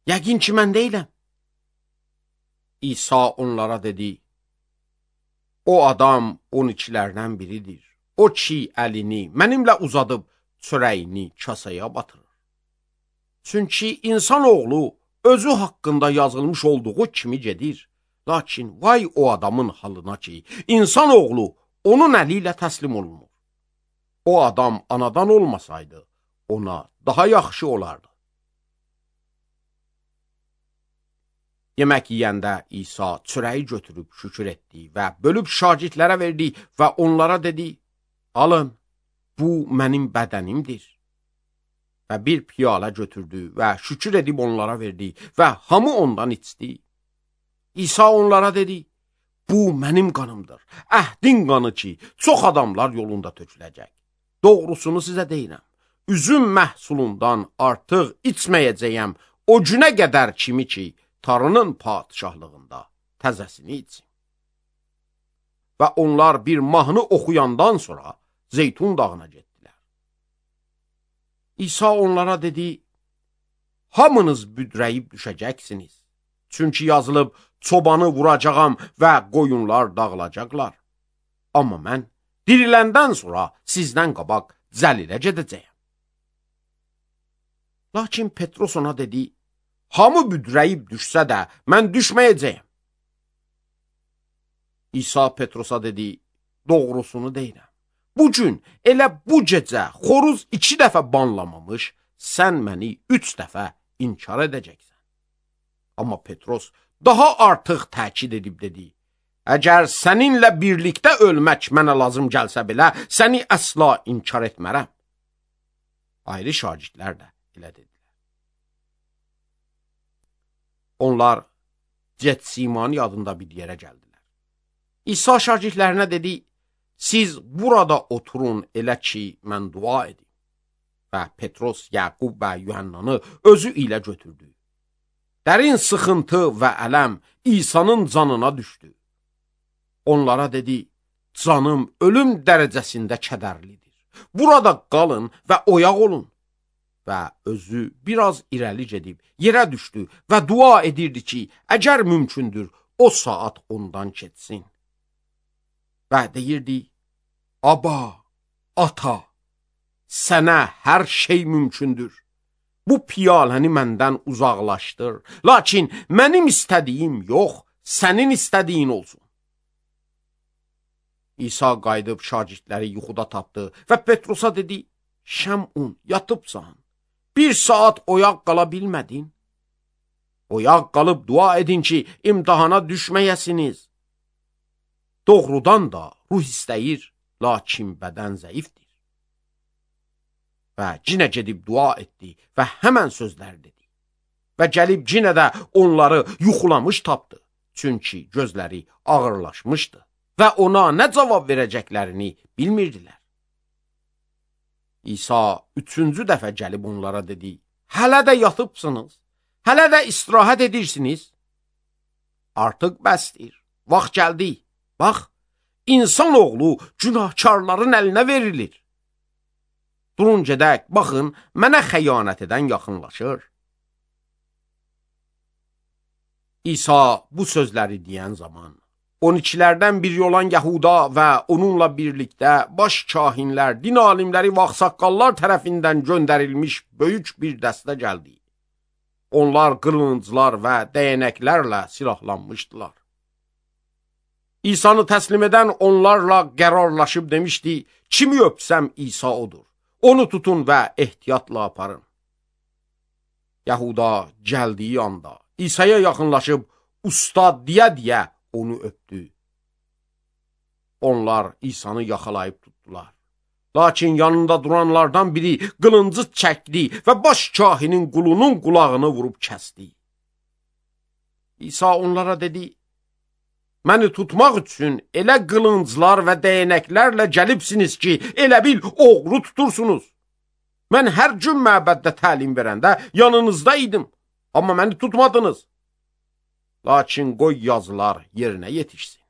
yəqin ki, mən deyiləm. İsa onlara dedi, o adam 12'lərdən biridir. O ki, əlini mənimlə uzadıb çörəyini kasaya batırır. Çünki insan oğlu özü haqqında yazılmış olduğu kimi gedir. Lakin vay o adamın halına ki, insan oğlu onun əli ilə təslim olunur. O adam anadan olmasaydı, ona daha yaxşı olardı. Yemək yeyəndə İsa çörəyi götürüb şükür etdi və bölüb şagirdlərə verdi və onlara dedi, alın, bu mənim bədənimdir. Və bir piyalə götürdü və şükür edib onlara verdi və hamı ondan içdi. İsa onlara dedi, bu mənim qanımdır, əhdin qanı ki, çox adamlar yolunda töküləcək. Doğrusunu sizə deyirəm, üzüm məhsulundan artıq içməyəcəyəm o günə qədər kimi ki, Tanrının padişahlığında təzəsini içsin. Və onlar bir mahnı oxuyandan sonra Zeytun dağına getdilər. İsa onlara dedi, hamınız büdrəyib düşəcəksiniz. Çünki yazılıb, çobanı vuracağam və qoyunlar dağılacaqlar. Amma mən diriləndən sonra sizdən qabaq Cəlilə gedəcəyəm. Lakin Petros ona dedi, hamı büdrəyib düşsə də mən düşməyəcəyəm. İsa Petrosa dedi, doğrusunu deyirəm. Bugün elə bu gecə xoruz 2 dəfə banlamamış, sən məni 3 dəfə inkar edəcəksən. Amma Petros daha artıq təkid edib dedi, əgər səninlə birlikdə ölmək mənə lazım gəlsə belə, səni əsla inkar etmərəm. Ayrı şagirdlər də elə dedilər. Onlar Getsimani adında bir yerə gəldilər. İsa şagirdlərinə dedi, siz burada oturun elə ki, mən dua edim. Və Petros, Yaqub və Yuhannanı özü ilə götürdü. Dərin sıxıntı və ələm İsa'nın canına düşdü. Onlara dedi, canım ölüm dərəcəsində kədərlidir. Burada qalın və oyaq olun. Və özü biraz irəli gedib yerə düşdü və dua edirdi ki, əgər mümkündür, o saat ondan keçsin. Və deyirdi, Aba, ata, sənə hər şey mümkündür. Bu piyaləni məndən uzaqlaşdır. Lakin mənim istədiyim yox, sənin istədiyin olsun. İsa qayıdıb şagirdləri yuxuda tapdı və Petrosa dedi, Şəmun, yatıbsan, Bir saat oyaq qala bilmədin? Oyaq qalıb dua edin ki, imtihana düşməyəsiniz. Doğrudan da ruh istəyir, lakin bədən zəifdir. Və cinə gedib dua etdi və həmən sözlər dedi. Və gəlib cinə də onları yuxulamış tapdı. Çünki gözləri ağırlaşmışdı və ona nə cavab verəcəklərini bilmirdilər. İsa 3-cü dəfə gəlib onlara dedi, hələ də yatıbsınız, hələ də istirahət edirsiniz. Artıq bəsdir, vaxt gəldi. Bax, insan oğlu günahkarların əlinə verilir. Durun gedək, baxın, mənə xəyanət edən yaxınlaşır. İsa bu sözləri deyən zaman 12-lərdən biri olan Yahuda və onunla birlikdə baş kahinlər, din alimləri və ağsaqqallar tərəfindən göndərilmiş böyük bir dəstə gəldi. Onlar qılınclar və dəyənəklərlə silahlanmışdılar. İsa'nı təslim edən onlarla qərarlaşıb demişdi, kimi öpsəm İsa odur. Onu tutun və ehtiyatla aparın. Yahuda gəldiyi anda İsa'ya yaxınlaşıb ustad deyə onu öpdü. Onlar İsa'nı yaxalayıb tutdular. Lakin yanında duranlardan biri qılıncı çəkdi və baş kahinin qulunun qulağını vurub kəsdi. İsa onlara dedi, məni tutmaq üçün elə qılınclar və dəyənəklərlə gəlibsiniz ki, elə bil oğru tutursunuz. Mən hər gün məbəddə təlim verəndə yanınızda idim, amma məni tutmadınız. Lakin qoy yazılar yerinə yetişsin.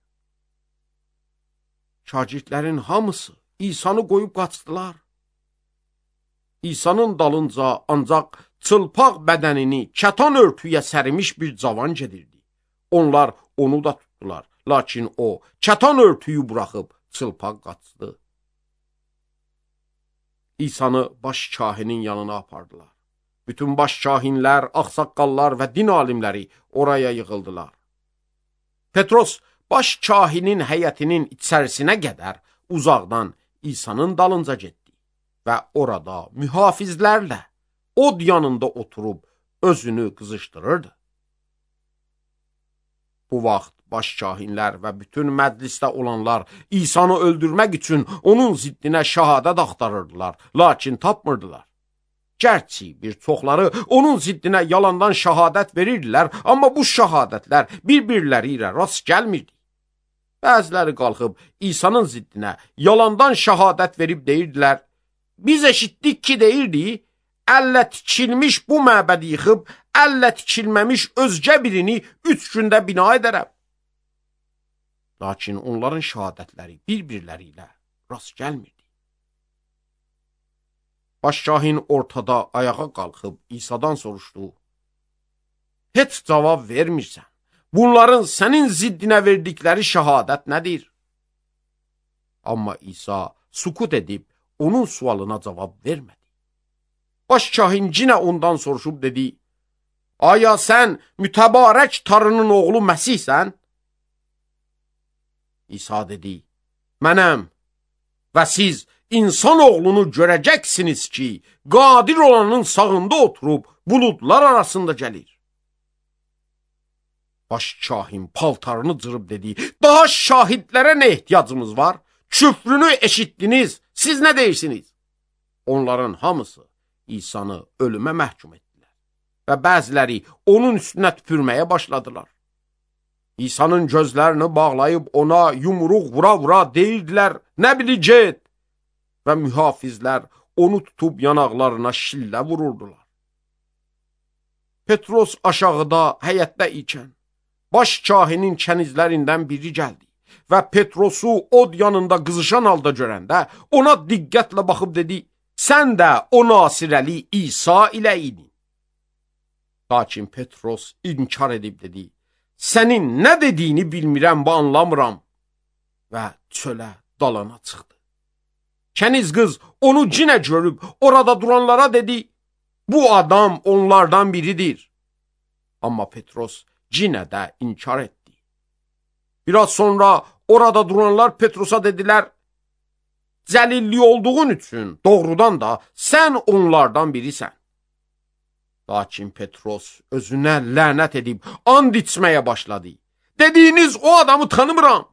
Şagirdlərin hamısı İsa'nı qoyub qaçdılar. İsa'nın dalınca ancaq çılpaq bədənini kətan örtüyə sərimiş bir cavan gedirdi. Onlar onu da tutdular. Lakin o kətan örtüyü buraxıb çılpaq qaçdı. İsa'nı baş kahinin yanına apardılar. Bütün baş kahinlər, ağsaqqallar və din alimləri oraya yığıldılar. Petros baş kahinin həyətinin içərisinə qədər uzaqdan İsa'nın dalınca getdi və orada mühafizlərlə od yanında oturub özünü qızışdırırdı. Bu vaxt baş kahinlər və bütün məclisdə olanlar İsa'nı öldürmək üçün onun ziddinə şəhadət axtarırdılar, lakin tapmırdılar. Gərçi bir çoxları onun ziddinə yalandan şəhadət verirdilər, amma bu şəhadətlər bir-birləri ilə rast gəlmirdi. Bəziləri qalxıb İsa'nın ziddinə yalandan şəhadət verib deyirdilər, biz eşitdik ki deyirdi, əllə tikilmiş bu məbədi yıxıb, əllə tikilməmiş özgə birini 3 gündə bina edərəm. Lakin onların şəhadətləri bir-birləri ilə rast gəlmirdi. Başkahin ortada ayağa qalxıb İsa'dan soruşdu, heç cavab vermirsən. Bunların sənin ziddinə verdikləri şəhadət nədir? Amma İsa sukut edib onun sualına cavab vermədi. Başkahin cinə ondan soruşub dedi, aya sən mütəbarək Tanrının oğlu Məsihsən? İsa dedi, mənəm və siz İnsan oğlunu görəcəksiniz ki, qadir olanın sağında oturub buludlar arasında gəlir. Baş kahin paltarını cırıb dedi, daha şahidlərə nə ehtiyacımız var? Küfrünü eşitdiniz, siz nə deyirsiniz? Onların hamısı İsa'nı ölümə məhkum etdilər və bəziləri onun üstünə tüpürməyə başladılar. İsa'nın gözlərini bağlayıb ona yumruq vura-vura deyirdilər, nə biləcək? Və mühafizlər onu tutub yanaqlarına şillə vururdular. Petros aşağıda həyətdə ikən, baş kahinin kənizlərindən biri gəldi və Petrosu od yanında qızışan halda görəndə ona diqqətlə baxıb dedi, sən də o Nasirəli İsa ilə idin. Lakin Petros inkar edib dedi, sənin nə dediyini bilmirəm və anlamıram və çölə dalana çıxdı. Kəniz qız onu cinə görüb orada duranlara dedi, bu adam onlardan biridir. Amma Petros cinə də inkar etdi. Biraz sonra orada duranlar Petrosa dedilər, Cəlilli olduğun üçün doğrudan da sən onlardan birisən. Lakin Petros özünə lənət edib and içməyə başladı. Dediyiniz o adamı tanımıram.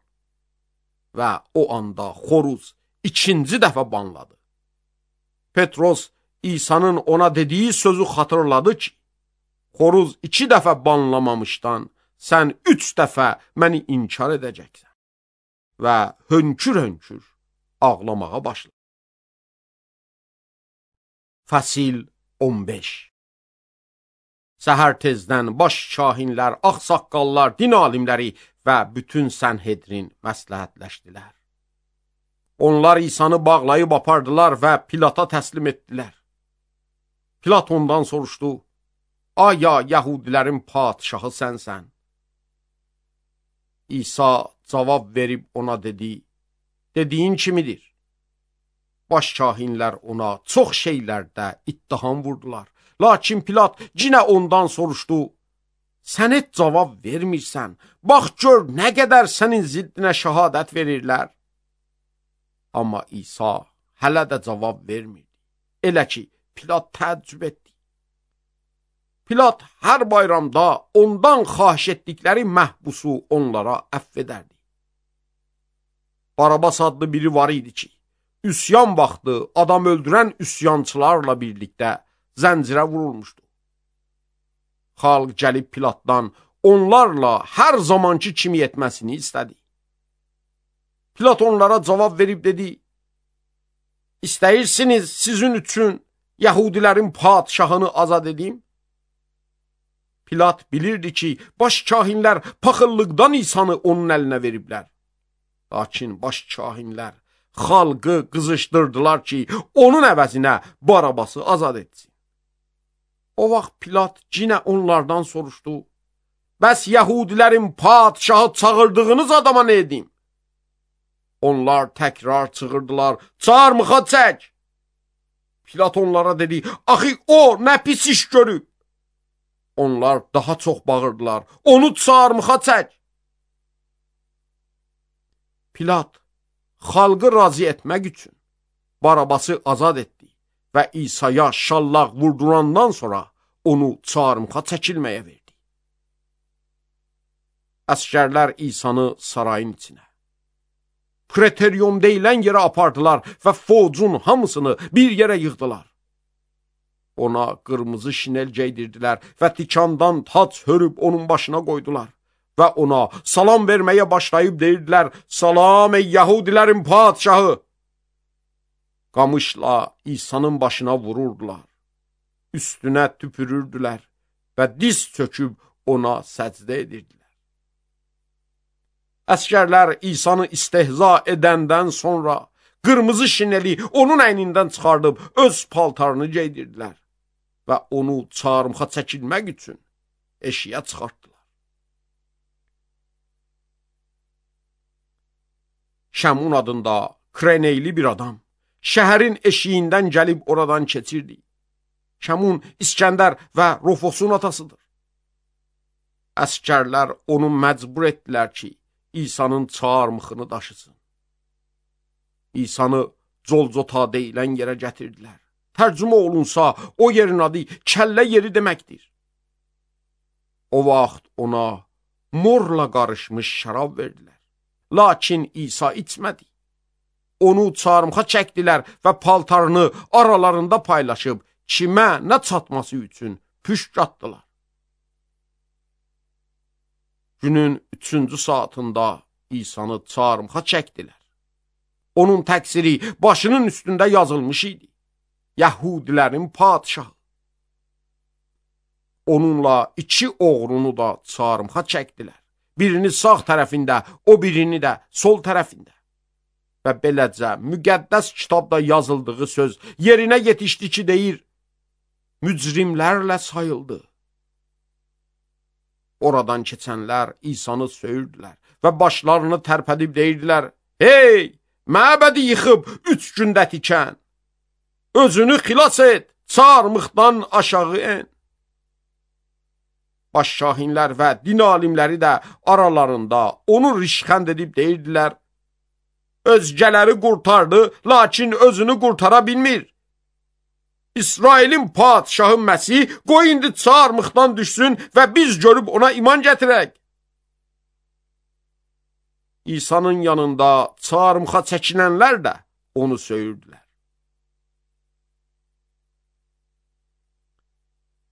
Və o anda xoruz ikinci dəfə banladı. Petros İsa'nın ona dediyi sözü xatırladı ki, xoruz 2 dəfə banlamamışdan sən 3 dəfə məni inkar edəcəksən. Və hönkür-hönkür ağlamağa başladı. Fəsil 15. Səhər tezdən baş şahinlər, ağsaqqallar, din alimləri və bütün Sənhedrin məsləhətləşdilər. Onlar İsa'nı bağlayıb apardılar və Pilata təslim etdilər. Pilat ondan soruşdu, aya Yəhudilərin padişahı sənsən? İsa cavab verib ona dedi, dediyin kimidir? Baş şahinlər ona çox şeylərdə ittiham vurdular. Lakin Pilat yenə ondan soruşdu, sən heç cavab vermirsən, bax gör nə qədər sənin ziddinə şəhadət verirlər. Amma İsa hələ də cavab vermirdi. Elə ki, Pilat təəccüb etdi. Pilat hər bayramda ondan xahiş etdikləri məhbusu onlara əfv edərdi. Barabas adlı biri var idi ki, üsyan vaxtı adam öldürən üsyançılarla birlikdə zəncirə vurulmuşdu. Xalq gəlib Pilatdan onlarla hər zamanki kimi etməsini istədi. Pilat onlara cavab verib dedi, İstəyirsiniz sizin üçün Yəhudilərin padişahını azad edim? Pilat bilirdi ki, baş kahinlər paxıllıqdan İsa'nı onun əlinə veriblər. Lakin baş kahinlər xalqı qızışdırdılar ki, onun əvəzinə Barabası azad etsin. O vaxt Pilat yenə onlardan soruşdu, bəs Yəhudilərin padişahı çağırdığınız adama nə edim? Onlar təkrar çığırdılar, çarmıxa çək! Pilat onlara dedi, axı o nə pis iş görüb? Onlar daha çox bağırdılar, onu çarmıxa çək! Pilat xalqı razı etmək üçün Barabası azad etdi və İsa'ya şallaq vurdurandan sonra onu çarmıxa çəkilməyə verdi. Əskərlər İsa'nı sarayın içinə, Preterium deyilən yerə apardılar və focun hamısını bir yerə yığdılar. Ona qırmızı şinel geydirdilər və tikandan tac hörüb onun başına qoydular. Və ona salam verməyə başlayıb deyirdilər, salam ey Yəhudilərin padişahı! Qamışla İsa'nın başına vururdular, üstünə tüpürürdülər və diz çöküb ona səcdə edirdilər. Əskərlər İsa'nı istehza edəndən sonra qırmızı şineli onun əynindən çıxardıb öz paltarını geydirdilər və onu çarmıxa çəkilmək üçün eşiyə çıxartdılar. Şəmun adında Kreneyli bir adam şəhərin eşiyindən gəlib oradan keçirdi. Şəmun İskəndər və Rofosun atasıdır. Əskərlər onu məcbur etdilər ki, İsa'nın çarmıxını daşısın. İsa'nı Colcota deyilən yerə gətirdilər. Tərcümə olunsa, o yerin adı kəllə yeri deməkdir. O vaxt ona morla qarışmış şərab verdilər. Lakin İsa içmədi. Onu çarmıxa çəkdilər və paltarını aralarında paylaşıb kimə nə çatması üçün püşk atdılar. Günün 3-cü saatında İsa'nı çarmıxa çəkdilər. Onun təqsiri başının üstündə yazılmış idi. Yəhudilərin padişahı. Onunla 2 oğrunu da çarmıxa çəkdilər. Birini sağ tərəfində, o birini də sol tərəfində. Və beləcə müqəddəs kitabda yazıldığı söz yerinə yetişdi ki, deyir, mücrimlərlə sayıldı. Oradan keçənlər İsa'nı söyürdülər və başlarını tərpədib deyirdilər, hey, məbədi yıxıb 3 gündə tikən, özünü xilas et, çarmıxdan aşağı en. Baş şahinlər və din alimləri də aralarında onu rişxənd edib deyirdilər, özgələri qurtardı, lakin özünü qurtara bilmir. İsrailin padişahı Məsih, qoy indi çarmıqdan düşsün və biz görüb ona iman gətirək. İsa'nın yanında çarmıxa çəkinənlər də onu söyürdülər.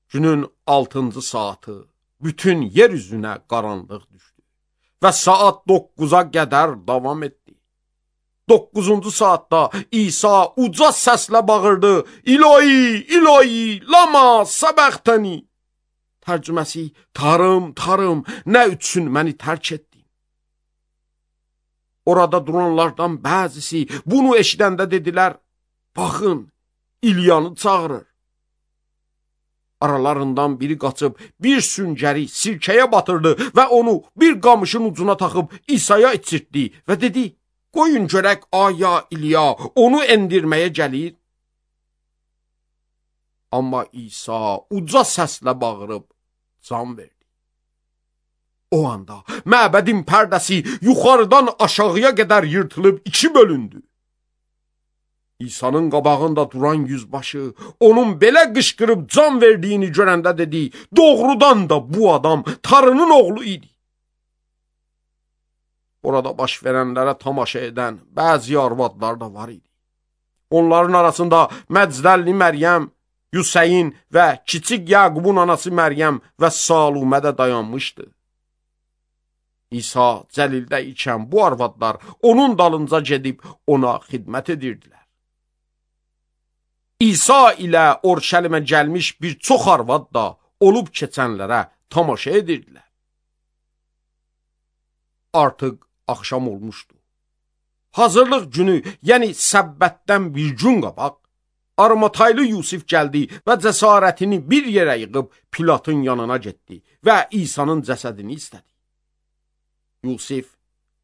Günün 6-cı saatı bütün yer üzünə qaranlıq düşdü və saat 9-a qədər davam etdi. 9-cu saatda İsa uca səslə bağırdı: İlahi, İlahi, lama səbəxtəni. Tərcüməsi: Tanrım, Tanrım, nə üçün məni tərk etdin? Orada duranlardan bəzisi bunu eşidəndə dedilər: Baxın, İlyanı çağırır. Aralarından biri qaçıb bir süngəri sirkəyə batırdı və onu bir qamışın ucuna taxıb İsa'ya içirtdi və dedi: Qoyun görək aya İlya onu endirməyə gəlir. Amma İsa uca səslə bağırıb can verdi. O anda məbədin pərdəsi yuxarıdan aşağıya qədər yırtılıb 2 bölündü. İsa'nın qabağında duran yüzbaşı onun belə qışqırıb can verdiyini görəndə dedi: Doğrudan da bu adam Tanrının oğlu idi. Orada baş verənlərə tamaşa edən bəzi arvadlar da var idi. Onların arasında Məcdəlli Məryəm, Yuseyin və kiçik Yaqubun anası Məryəm və Salumə də dayanmışdı. İsa Cəlildə ikən bu arvadlar onun dalınca gedib ona xidmət edirdilər. İsa ilə Orşəlimə gəlmiş bir çox arvad da olub keçənlərə tamaşa edirdilər. Artıq axşam olmuşdu. Hazırlıq günü, yəni səbbətdən bir gün qabaq, Arimataylı Yusif gəldi və cəsarətini bir yerə yığıb Pilatın yanına getdi və İsa'nın cəsədini istədi. Yusif,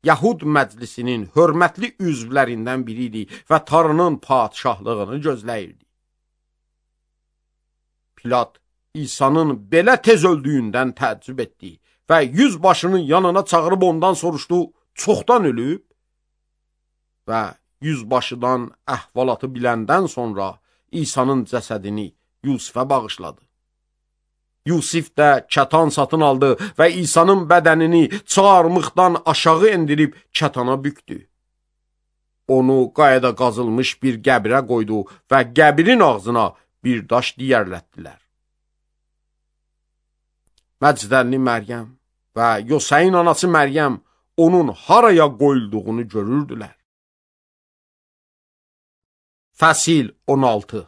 Yahud məclisinin hörmətli üzvlərindən biri idi və Tanrının padişahlığını gözləyirdi. Pilat İsa'nın belə tez öldüyündən təəccüb etdi və yüzbaşının yanına çağırıb ondan soruşdu: Çoxdan ölüb? Və yüzbaşıdan əhvalatı biləndən sonra İsa'nın cəsədini Yusifə bağışladı. Yusif də kətan satın aldı və İsa'nın bədənini çarmıqdan aşağı endirib kətana büktü. Onu qayada qazılmış bir qəbrə qoydu və qəbrin ağzına bir daş diyərlətdilər. Məcdəlli Məryəm və Yoseyin anası Məryəm onun haraya qoyulduğunu görürdülər. Fəsil 16.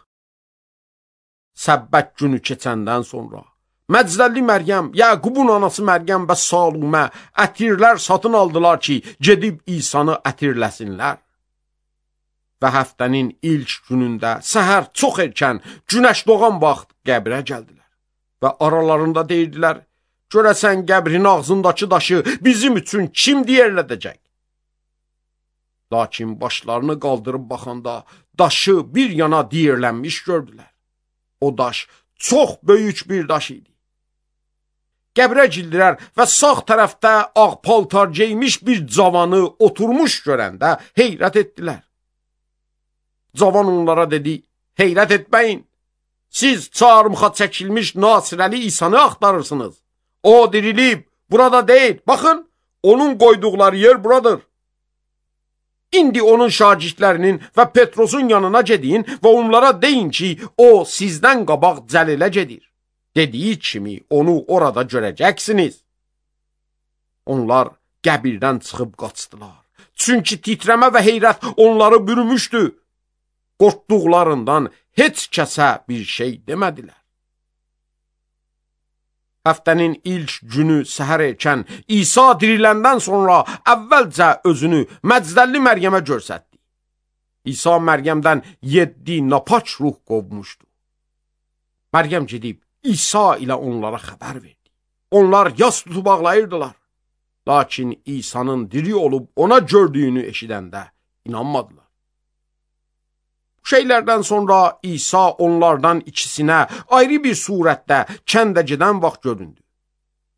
Səbbət günü keçəndən sonra Məcdəlli Məryəm, Yaqubun anası Məryəm və Salumə ətirlər satın aldılar ki, gedib İsa'nı ətirləsinlər. Və həftənin ilk günündə səhər çox erkən günəş doğan vaxt qəbrə gəldilər. Və aralarında deyirdilər: Görəsən qəbrin ağzındakı daşı bizim üçün kim diyərlədəcək? Lakin başlarını qaldırıb baxanda daşı bir yana diyərlənmiş gördülər. O daş çox böyük bir daş idi. Qəbrə girdilər və sağ tərəfdə ağ paltar geymiş bir cavanı oturmuş görəndə heyrət etdilər. Cavan onlara dedi: Heyrət etməyin. Siz çarmıxa çəkilmiş Nasirəli İsa'nı axtarırsınız. O dirilib, burada deyil. Baxın, onun qoyduqları yer buradır. İndi onun şagirdlərinin və Petrosun yanına gedin və onlara deyin ki, o sizdən qabaq Cəlilə gedir. Dediyi kimi onu orada görəcəksiniz. Onlar qəbirdən çıxıb qaçdılar. Çünki titrəmə və heyrət onları bürümüşdü. Qorxduqlarından heç kəsə bir şey demədilər. Həftənin ilk günü səhər erkən İsa diriləndən sonra əvvəlcə özünü Məcdəlli Məryəmə göstərdi. İsa Məryəmdən 7 napaç ruh qovmuşdu. Məryəm gedib İsa ilə onlara xəbər verdi. Onlar yas tutub ağlayırdılar. Lakin İsa'nın diri olub ona gördüyünü eşidəndə inanmadılar. Şeylərdən sonra İsa onlardan ikisinə ayrı bir surətdə kəndə gedən vaxt göründü.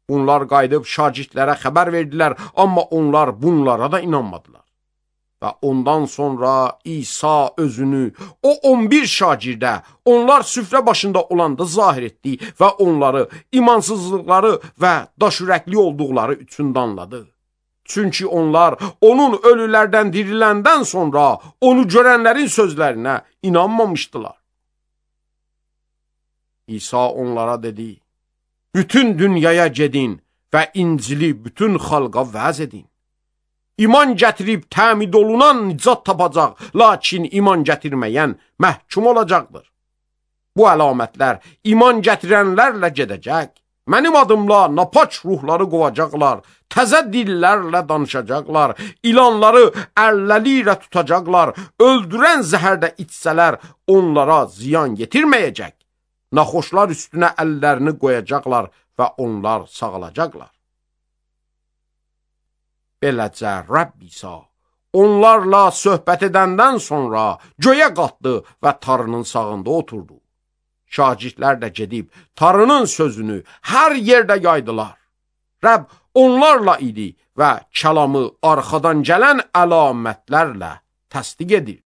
Onlar qayıdıb şagirdlərə xəbər verdilər, amma onlar bunlara da inanmadılar. Və ondan sonra İsa özünü o 11 şagirdə onlar süfrə başında olanda zahir etdi və onları imansızlıqları və daşürəkli olduqları üçün danladı. Çünki onlar onun ölülərdən diriləndən sonra onu görənlərin sözlərinə inanmamışdılar. İsa onlara dedi, bütün dünyaya gedin və İncili bütün xalqa vəz edin. İman gətirib təmid olunan nicat tapacaq, lakin iman gətirməyən məhkum olacaqdır. Bu əlamətlər iman gətirənlərlə gedəcək. Mənim adımla napaç ruhları qovacaqlar, təzə dillərlə danışacaqlar, ilanları əlləri ilə tutacaqlar, öldürən zəhərdə içsələr onlara ziyan yetirməyəcək. Naxoşlar üstünə əllərini qoyacaqlar və onlar sağalacaqlar. Beləcə Rəbb İsa onlarla söhbət edəndən sonra göyə qalxdı və tarının sağında oturdu. Şagirdlər də gedib tarının sözünü hər yerdə yaydılar. Rəbb onlarla idi və kəlamı arxadan gələn əlamətlərlə təsdiq edir.